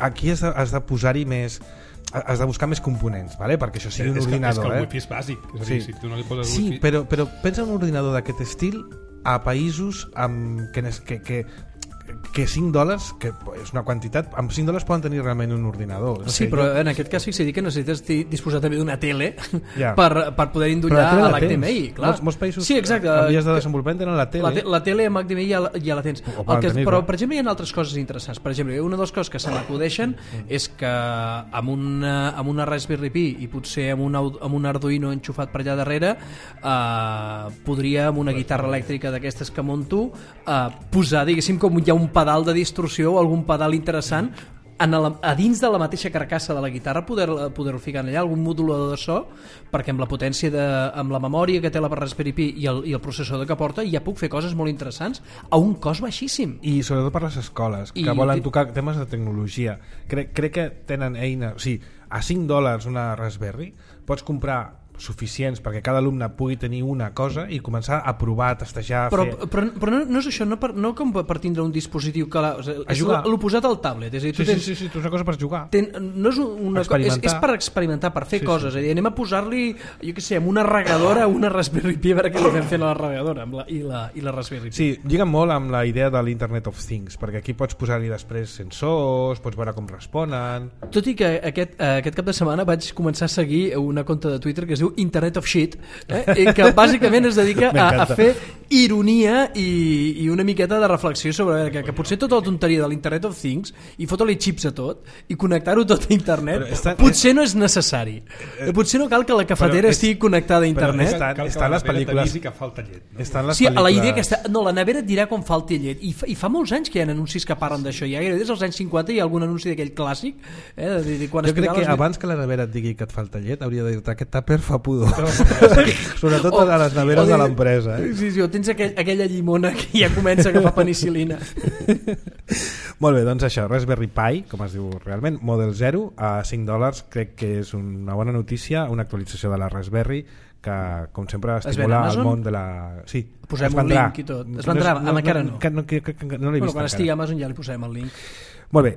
aquí has de posar-hi més... has de buscar més components, vale? Perquè això sigui un ordinador. És que el wifi és bàsic, és a dir, si tu no li poses sí, wifi... però pensa en un ordinador d'aquest estil a països amb que $5, que és una quantitat, amb $5 poden tenir realment un ordinador. Sí, però en aquest cas sí que necessites disposar també d'una tele per poder indullar a l'HDMI. Molts països en vies de desenvolupament tenen la tele. La tele amb HDMI ja la tens. Però, per exemple, hi ha altres coses interessants. Per exemple, una de les coses que se m'acudeixen és que amb una Raspberry Pi i potser amb un Arduino enxufat per allà darrere podria, amb una guitarra elèctrica d'aquestes que monto, posar, diguéssim, com hi ha un pedal de distorsió o algun pedal interessant a dins de la mateixa carcassa de la guitarra, poder-lo ficar allà, algun modulador de so, perquè amb la potència amb la memòria que té la Raspberry Pi i el processador que porta ja puc fer coses molt interessants a un cost baixíssim. I sobretot per les escoles que volen tocar temes de tecnologia. Crec que tenen eines, o sigui, a $5 una Raspberry pots comprar suficients perquè cada alumne pugui tenir una cosa i començar a provar, a testejar, però no és això, no com per tindre un dispositiu que és l'oposat al tablet, és a dir, sí, és una cosa per jugar, no és una cosa, és per experimentar, per fer coses, és a dir, anem a posar-li, jo què sé, amb una regadora una Raspberry Pi, a veure què li fem fer a la regadora i la Raspberry Pi. Sí, lliga molt amb la idea de l'Internet of Things, perquè aquí pots posar-hi després sensors, pots veure com responen. Tot i que aquest cap de setmana vaig començar a seguir una conta de Twitter que es diu Internet of Shit, que bàsicament es dedica a fer ironia i una miqueta de reflexió sobre que potser tota la tonteria de l'Internet of Things i fotre-li xips a tot i connectar-ho tot a internet potser no és necessari, potser no cal que la cafetera estigui connectada a internet. Estan les pel·lícules que falta llet. Sí, la idea que la nevera et dirà com falta llet i fa molts anys que hi ha anuncis que parlen d'això, ja des dels anys 50 hi ha algun anunci d'aquell clàssic jo crec que abans que la nevera et digui que et falta llet hauria de dir-te aquest tàper fa pudor. Sobretot a les neveres de l'empresa. Sí, tens aquella llimona que ja comença a agafar penicil·lina. Molt bé, doncs això, Raspberry Pi, com es diu realment, Model 0 a $5, crec que és una bona notícia, una actualització de la Raspberry que, com sempre, estimula el món de la... Sí, posem un link i tot. Es vendrà? Encara no. No l'he vist encara. Quan estigui a Amazon ja li posarem el link. Molt bé,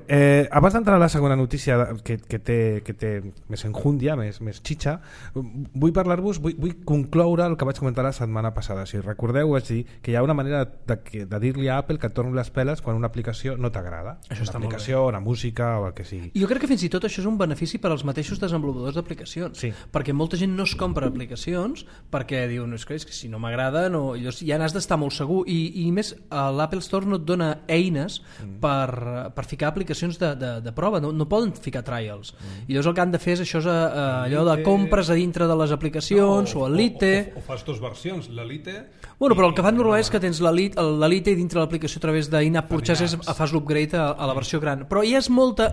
abans d'entrar a la segona notícia que té més enjúndia, més xitxa, vull parlar-vos, vull concloure el que vaig comentar la setmana passada. Si recordeu, vaig dir que hi ha una manera de dir-li a Apple que et torni les peles quan una aplicació no t'agrada. Una aplicació, una música o el que sigui. I jo crec que fins i tot això és un benefici per als mateixos desenvolupadors d'aplicacions, perquè molta gent no es compra aplicacions perquè diu, no, és que si no m'agrada ja n'has d'estar molt segur i més l'Apple Store no et dona eines per ficar aplicacions de prova, no poden ficar trials i llavors el que han de fer és això, allò de compres a dintre de les aplicacions o el Lite o fas dues versions, l'Elite però el que fan normalment és que tens l'Elite i dintre l'aplicació a través d'in-app purchases fas l'upgrade a la versió gran, però ja és molta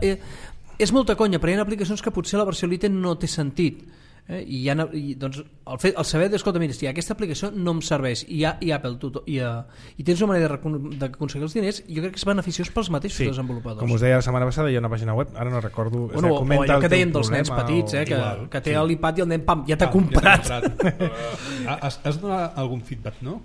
conya, però hi ha aplicacions que potser la versió Elite no té sentit doncs el saber d'escolta, mira, si aquesta aplicació no em serveix i Apple i tens una manera d'aconseguir els diners, jo crec que és beneficiós pels mateixos desenvolupadors. Com us deia la setmana passada hi ha una pàgina web, ara no recordo o allò que deien dels nens petits que té l'iPad i el nen pam, ja t'ha comprat. Has donat algun feedback, no?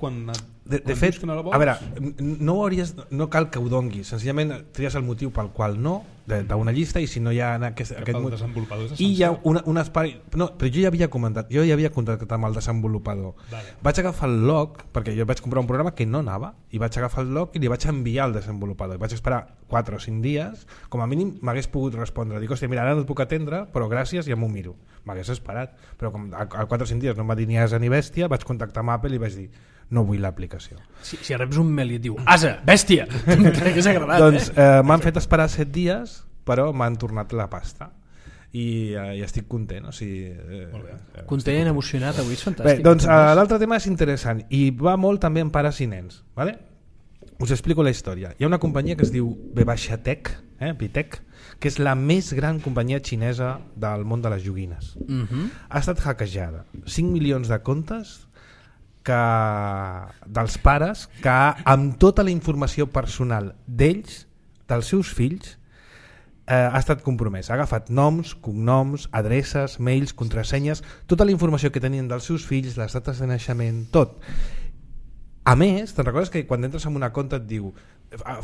De fet, a veure, no cal que ho donguis, senzillament tries el motiu pel qual no d'una llista i si no hi ha aquest motiu i hi ha un espai, no, però jo ja havia contactat amb el desenvolupador. Vaig agafar el log, perquè jo vaig comprar un programa que no anava i vaig agafar el log i li vaig enviar al desenvolupador i vaig esperar 4 o 5 dies, com a mínim m'hagués pogut respondre, dic, hòstia, mira, ara no et puc atendre però gràcies, ja m'ho miro, m'hagués esperat, però com a 4 o 5 dies no em va dir ni asa ni bèstia, vaig contactar amb Apple i vaig dir no vull l'aplicació. Si reps un mail i et diu asa, bèstia, t'hagués agradat. Doncs m'han fet esperar 7 dies però m'han tornat la pasta i estic content, o sigui, content, emocionat, avui és fantàstic. Bé, doncs l'altre tema és interessant i va molt també en pares i nens, vale? Us explico la història. Hi ha una companyia que es diu Vitec, que és la més gran companyia xinesa del món de les joguines. Ha estat hackejada. 5 milions de comptes dels pares que amb tota la informació personal d'ells, dels seus fills, ha estat compromès. Ha agafat noms, cognoms, adreces, mails, contrasenyes, tota la informació que tenien dels seus fills, les dates de naixement, tot. A més, te'n recordes que quan entres en una compte et diu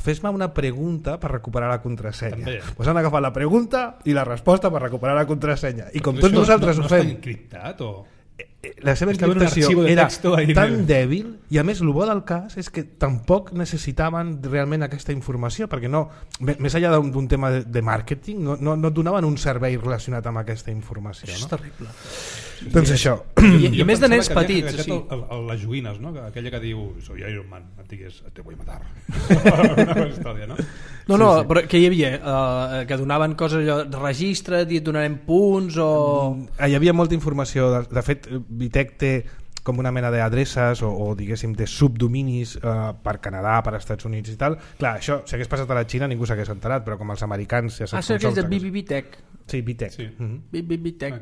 fes-me una pregunta per recuperar la contrasenya. Pues han agafat la pregunta i la resposta per recuperar la contrasenya. I com tots nosaltres ho fem... No està encriptat o...? La seva encriptació era tan dèbil i a més el bo del cas és que tampoc necessitaven realment aquesta informació perquè no, més enllà d'un tema de màrqueting no et donaven un servei relacionat amb aquesta informació. Això és terrible. Doncs això. I a més de nens petits. Les joguines, no? Aquella que diu soy Iron Man, et digués te voy a matar. Una història, no? No, però què hi havia? Que donaven coses allò, registra't i et donarem punts o... Hi havia molta informació. De fet, Vitec té com una mena d'adreces o diguéssim de subdominis per Canadà, per Estats Units i tal. Clar, això, si hagués passat a la Xina ningú s'hagués enterat, però com els americans ja saps com són. Vitec. Sí, Vitec. Sí. Vitec.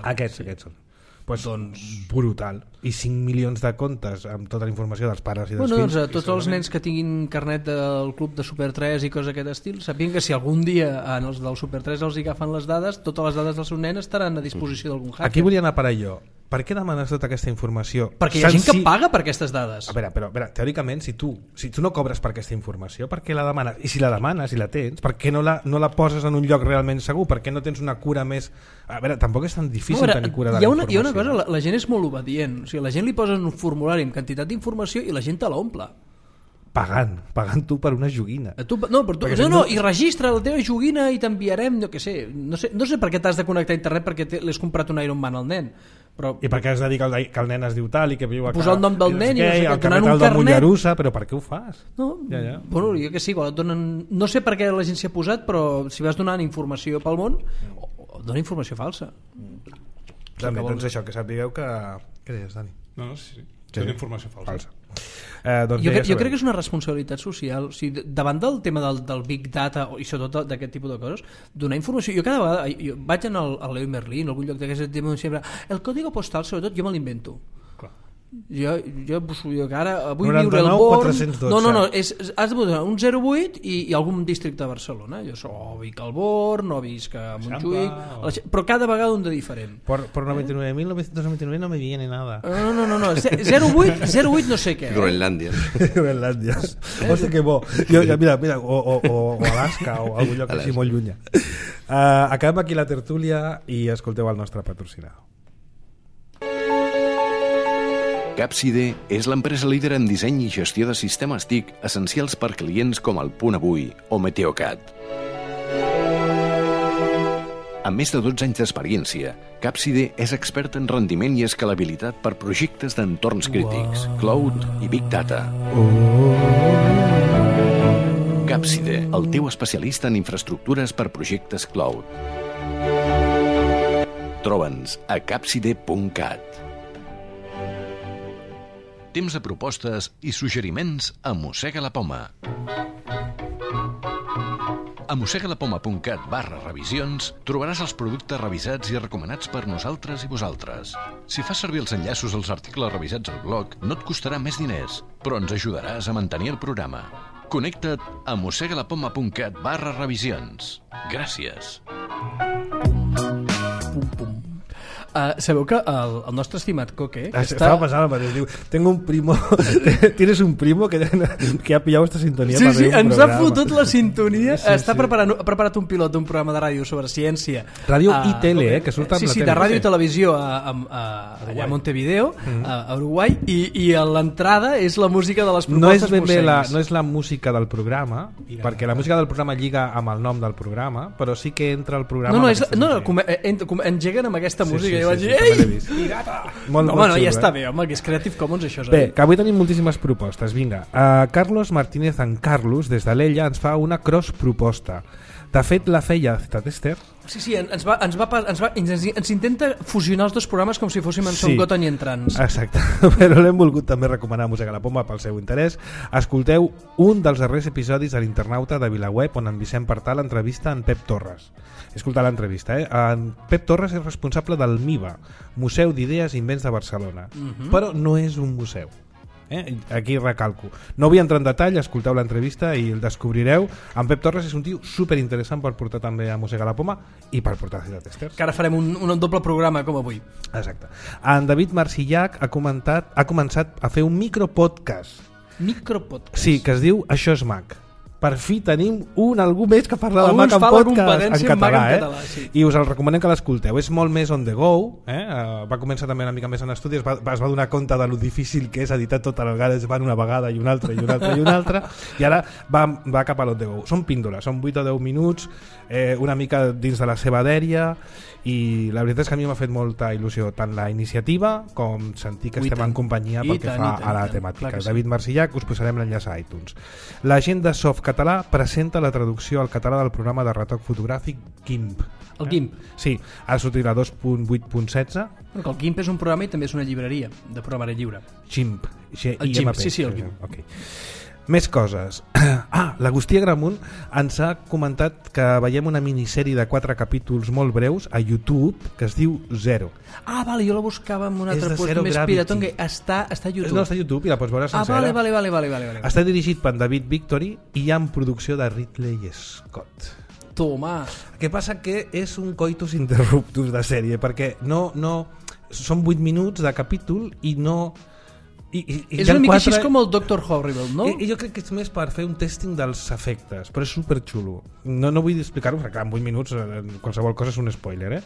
Aquests són. Pues, doncs brutal. I 5 milions de comptes amb tota la informació dels pares i dels fills. Doncs tots els nens que tinguin carnet del club de Super 3 i coses d'aquest estil sapien que si algun dia els del Super 3 els agafen les dades, totes les dades del seu nen estaran a disposició d'algun hacker. Aquí volia anar per allò. Per què demanes tota aquesta informació? Perquè hi ha gent que paga per aquestes dades. A veure, teòricament, si tu no cobres per aquesta informació, per què la demanes? I si la demanes i la tens, per què no la poses en un lloc realment segur? Per què no tens una cura més... A veure, tampoc és tan difícil tenir cura de la informació. Hi ha una cosa, la gent és molt obedient. O sigui, la gent li posa un formulari amb quantitat d'informació i la gent te l'omple. Pagant tu per una joguina. I registra la teva joguina i t'enviarem, no sé per què t'has de connectar a internet perquè l'has comprat un Iron Man al nen. Però... I per què has de dir que el nen es diu tal i que viu a posar el nom del nen i el carnet del Mollerussa, però per què ho fas? Bueno, jo que sí, quan et donen... No sé per què la gent s'hi ha posat, però si vas donant informació pel món, dona informació falsa. Doncs això, que sapigueu que... Què deies, Dani? No, sí. Dona informació falsa. Jo crec que és una responsabilitat social, o sigui, davant del tema del Big Data i sobretot d'aquest tipus de coses, donar informació. Jo cada vegada vaig a Leroy Merlin, en algun lloc d'aquest tema, el còdigo postal, sobretot, jo me l'invento. Jo que ara vull viure el Born. Has de posar un 08 i algun districte de Barcelona. Jo soc Vic al Born, o visc a Montjuïc, però cada vegada un de diferent. Por 99.999 no me viene nada. No, 08 no sé què. Groenlàndia. Hòstia, que bo. Mira, o Alaska o algun lloc així molt lluny. Acabem aquí la tertúlia i escolteu el nostre patrocinador. Capside és l'empresa líder en disseny i gestió de sistemes TIC essencials per clients com el Punt Avui o Meteocat. Amb més de 12 anys d'experiència, Capside és expert en rendiment i escalabilitat per projectes d'entorns crítics, cloud i Big Data. Capside, el teu especialista en infraestructures per projectes cloud. Troba'ns a capside.cat. Temps de propostes i suggeriments a Mossega la Poma. A mossegalapoma.cat/revisions trobaràs els productes revisats i recomanats per nosaltres i vosaltres. Si fas servir els enllaços als articles revisats al blog, no et costarà més diners, però ens ajudaràs a mantenir el programa. Connecta't a mossegalapoma.cat/revisions. Gràcies. Sabeu que el nostre estimat Coque estava passant el mateix, diu, tengo un primo tienes un primo que ha pillado esta sintonia sí, ens ha fotut la sintonia, està preparat un pilot d'un programa de ràdio sobre ciència, ràdio i tele, que surt amb la tele, de ràdio i televisió allà a Montevideo, a Uruguai, i l'entrada és la música de les propostes no és la música del programa, perquè la música del programa lliga amb el nom del programa, però sí que entra el programa engeguen amb aquesta música. Ja està bé, home, que és Creative Commons això. Bé, que avui tenim moltíssimes propostes. Vinga, Carlos Martínez en Carlos des de l'Ella ens fa una cross proposta. De fet, la feia Tester. Sí, ens intenta fusionar els dos programes com si fóssim en Son Goten i Entrants. Exacte, però l'hem volgut també recomanar a Mossega la Poma pel seu interès. Escolteu un dels darrers episodis de l'Internauta de VilaWeb on en Vicent Partal entrevista en Pep Torres. Escolta l'entrevista, En Pep Torres és responsable del MIBA, Museu d'Idees i Invents de Barcelona, però no és un museu. Aquí recalco. No vull entrar en detall, escolteu l'entrevista i el descobrireu. En Pep Torres és un tio superinteressant per portar també a Mossegar la Poma i per portar a Ciutat Esters. Que ara farem un doble programa com avui. Exacte. En David Marcillac ha començat a fer un micropodcast. Micropodcast? Sí, que es diu Això és Mac. Per fi tenim algú més que parla de Mac en podcast en català, sí. I us el recomanem que l'escolteu. És molt més on the go, va començar també una mica més en estudis, es va donar compte de lo difícil que és editar totes les vegades, van una vegada i una altra i una altra i una altra, i ara va cap a l'on the go. Són píndoles, són 8 o 10 minuts, una mica dins de la seva dèria, i la veritat és que a mi m'ha fet molta il·lusió tant la iniciativa com sentir que estem en companyia pel que fa a la temàtica. David Marcillac, us posarem l'enllaç a iTunes. La gent de Soft Català presenta la traducció al català del programa de retoc fotogràfic GIMP. El GIMP? Sí, ha sortit la 2.8.16. El GIMP és un programa i també és una llibreria de programari lliure. GIMP. El GIMP, sí, el GIMP. Okay. Més coses. L'Agustí Agramunt ens ha comentat que veiem una minissèrie de 4 capítols molt breus a YouTube que es diu Zero. Vale, jo la buscava en un altre lloc més piratón que està a YouTube. No, està a YouTube i la pots veure sencera. Vale. Està dirigit per David Victory i hi ha producció de Ridley Scott. Toma. El que passa que és un coitus interruptus de sèrie, perquè no són 8 minuts de capítol i no... és una mica així com el Dr. Horrible, no? I jo crec que és més per fer un testing dels efectes, però és superxulo. No vull explicar-ho, perquè en 8 minuts qualsevol cosa és un spoiler,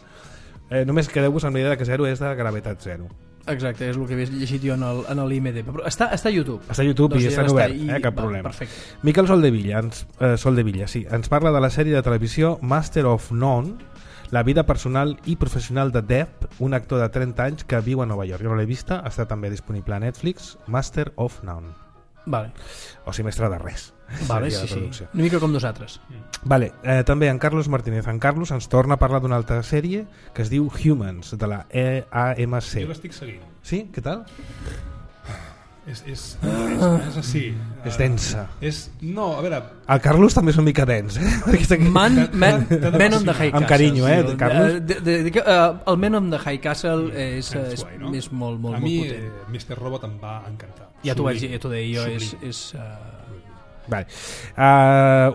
només quedeu-vos amb la idea que Zero és de gravetat zero. Exacte, és el que he llegit jo en l'IMDb. Però està a YouTube. Està a YouTube, doncs i està obert, cap problema. Perfecte. Miquel Soldevilla ens parla de la sèrie de televisió Master of None, la vida personal i professional de Depp, un actor de 30 anys que viu a Nova York. Jo no l'he vista, està també disponible a Netflix, Master of None. Vale. O sigui, mestre de res. Vale, sí. Una mica com nosaltres. Vale, també en Carlos Martínez. En Carlos ens torna a parlar d'una altra sèrie que es diu Humans, de la EAMC. Jo l'estic seguint. Sí? Què tal? És així. És densa. No, a veure... El Carlos també és una mica dens, Man on the High Castle. Amb carinyo, Carlos? El Man on the High Castle és molt potent. A mi Mr. Robot em va encantar. Ja t'ho deia jo, Vale.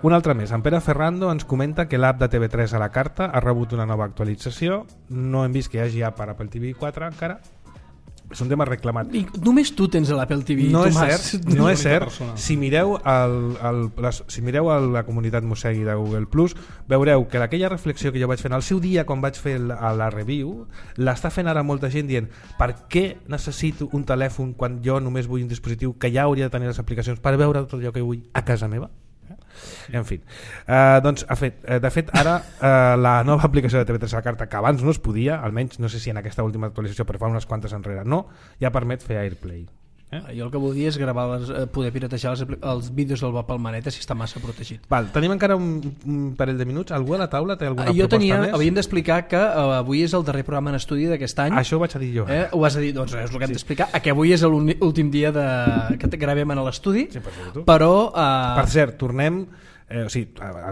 Un altre més. En Pere Ferrando ens comenta que l'app de TV3 a la carta ha rebut una nova actualització. No hem vist que hi hagi app per Apple TV 4 encara. És un tema reclamat. I només tu tens l'Apple TV, no Tomàs. No és cert. Si mireu la comunitat Mossegui de Google Plus, veureu que aquella reflexió que jo vaig fer en el seu dia quan vaig fer la review, l'està fent ara molta gent dient per què necessito un telèfon quan jo només vull un dispositiu que ja hauria de tenir les aplicacions per veure tot allò que vull a casa meva? En fi, doncs de fet ara la nova aplicació de TV3 a la carta, que abans no es podia, almenys no sé si en aquesta última actualització, però fa unes quantes enrere no, ja permet fer AirPlay. Jo el que volia és poder piratejar els vídeos del Pal Maneta si està massa protegit. Val, tenim encara un parell de minuts. Algú a la taula té alguna proposta més? Havíem d'explicar que avui és el darrer programa en estudi d'aquest any. Això ho vaig a dir jo. Ho has de dir, doncs és el que hem d'explicar, que avui és l'últim dia que gravem a l'estudi, però... Per cert, tornem...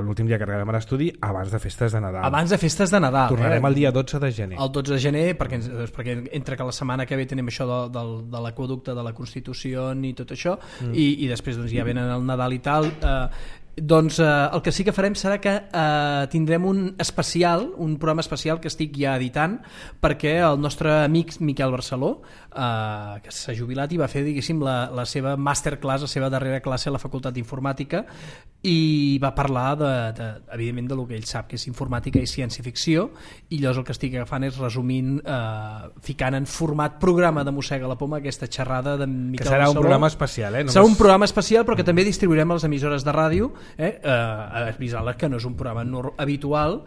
l'últim dia que gravem a l'estudi abans de festes de Nadal. Abans de festes de Nadal. Tornarem el dia 12 de gener. El 12 de gener, perquè entre que la setmana que ve tenim això de l'aqüeducte de la Constitució i tot això, i després doncs, ja venen el Nadal i tal... Doncs el que sí que farem serà que tindrem un programa especial que estic ja editant, perquè el nostre amic Miquel Barceló, que s'ha jubilat i va fer, diguéssim, la seva masterclass, la seva darrera classe a la Facultat d'Informàtica, i va parlar evidentment del que ell sap, que és informàtica i ciència-ficció, i llavors el que estic agafant és resumint, ficant en format programa de Mossega la Poma aquesta xerrada de Miquel Barceló. Que serà un programa especial, Serà un programa especial, però que també distribuirem a les emissores de ràdio, avisant-les que no és un programa habitual,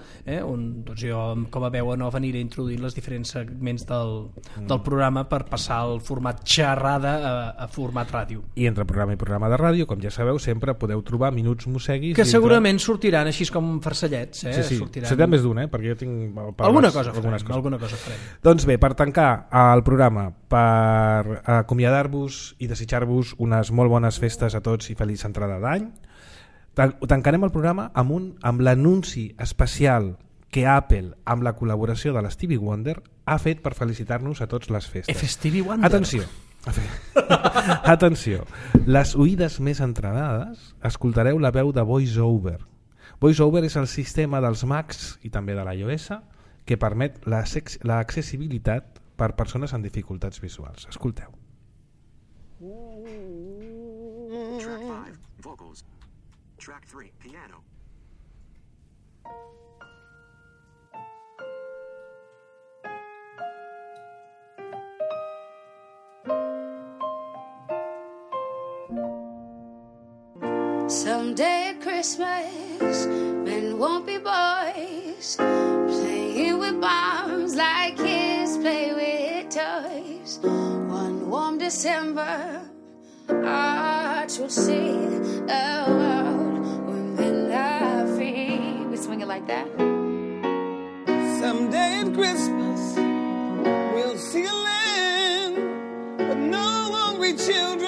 on doncs, jo com a veu en off aniré introduint els diferents segments del programa per passar el format xerrada a format ràdio. I entre programa i programa de ràdio, com ja sabeu, sempre podeu trobar minuts mosseguis que segurament sortiran així com farcellets. Sí. Serà més d'un, perquè jo tinc alguna cosa farem. Doncs bé, per tancar el programa, per acomiadar-vos i desitjar-vos unes molt bones festes a tots i feliç entrada d'any, tancarem el programa amb l'anunci especial que Apple, amb la col·laboració de l'Stevie Wonder, ha fet per felicitar-nos a tots les festes. Stevie Wonder. Atenció, Atenció, les oïdes més entrenades escoltareu la veu de VoiceOver. VoiceOver és el sistema dels Macs i també de l'iOS que permet l'accessibilitat per persones amb dificultats visuals. Escolteu. Track 5, vocals. Track 3, piano. Someday at Christmas, men won't be boys, playing with bombs like kids play with toys. One warm December, our hearts will see a world where men are free. We swing it like that. Someday at Christmas, we'll see a land with no hungry children.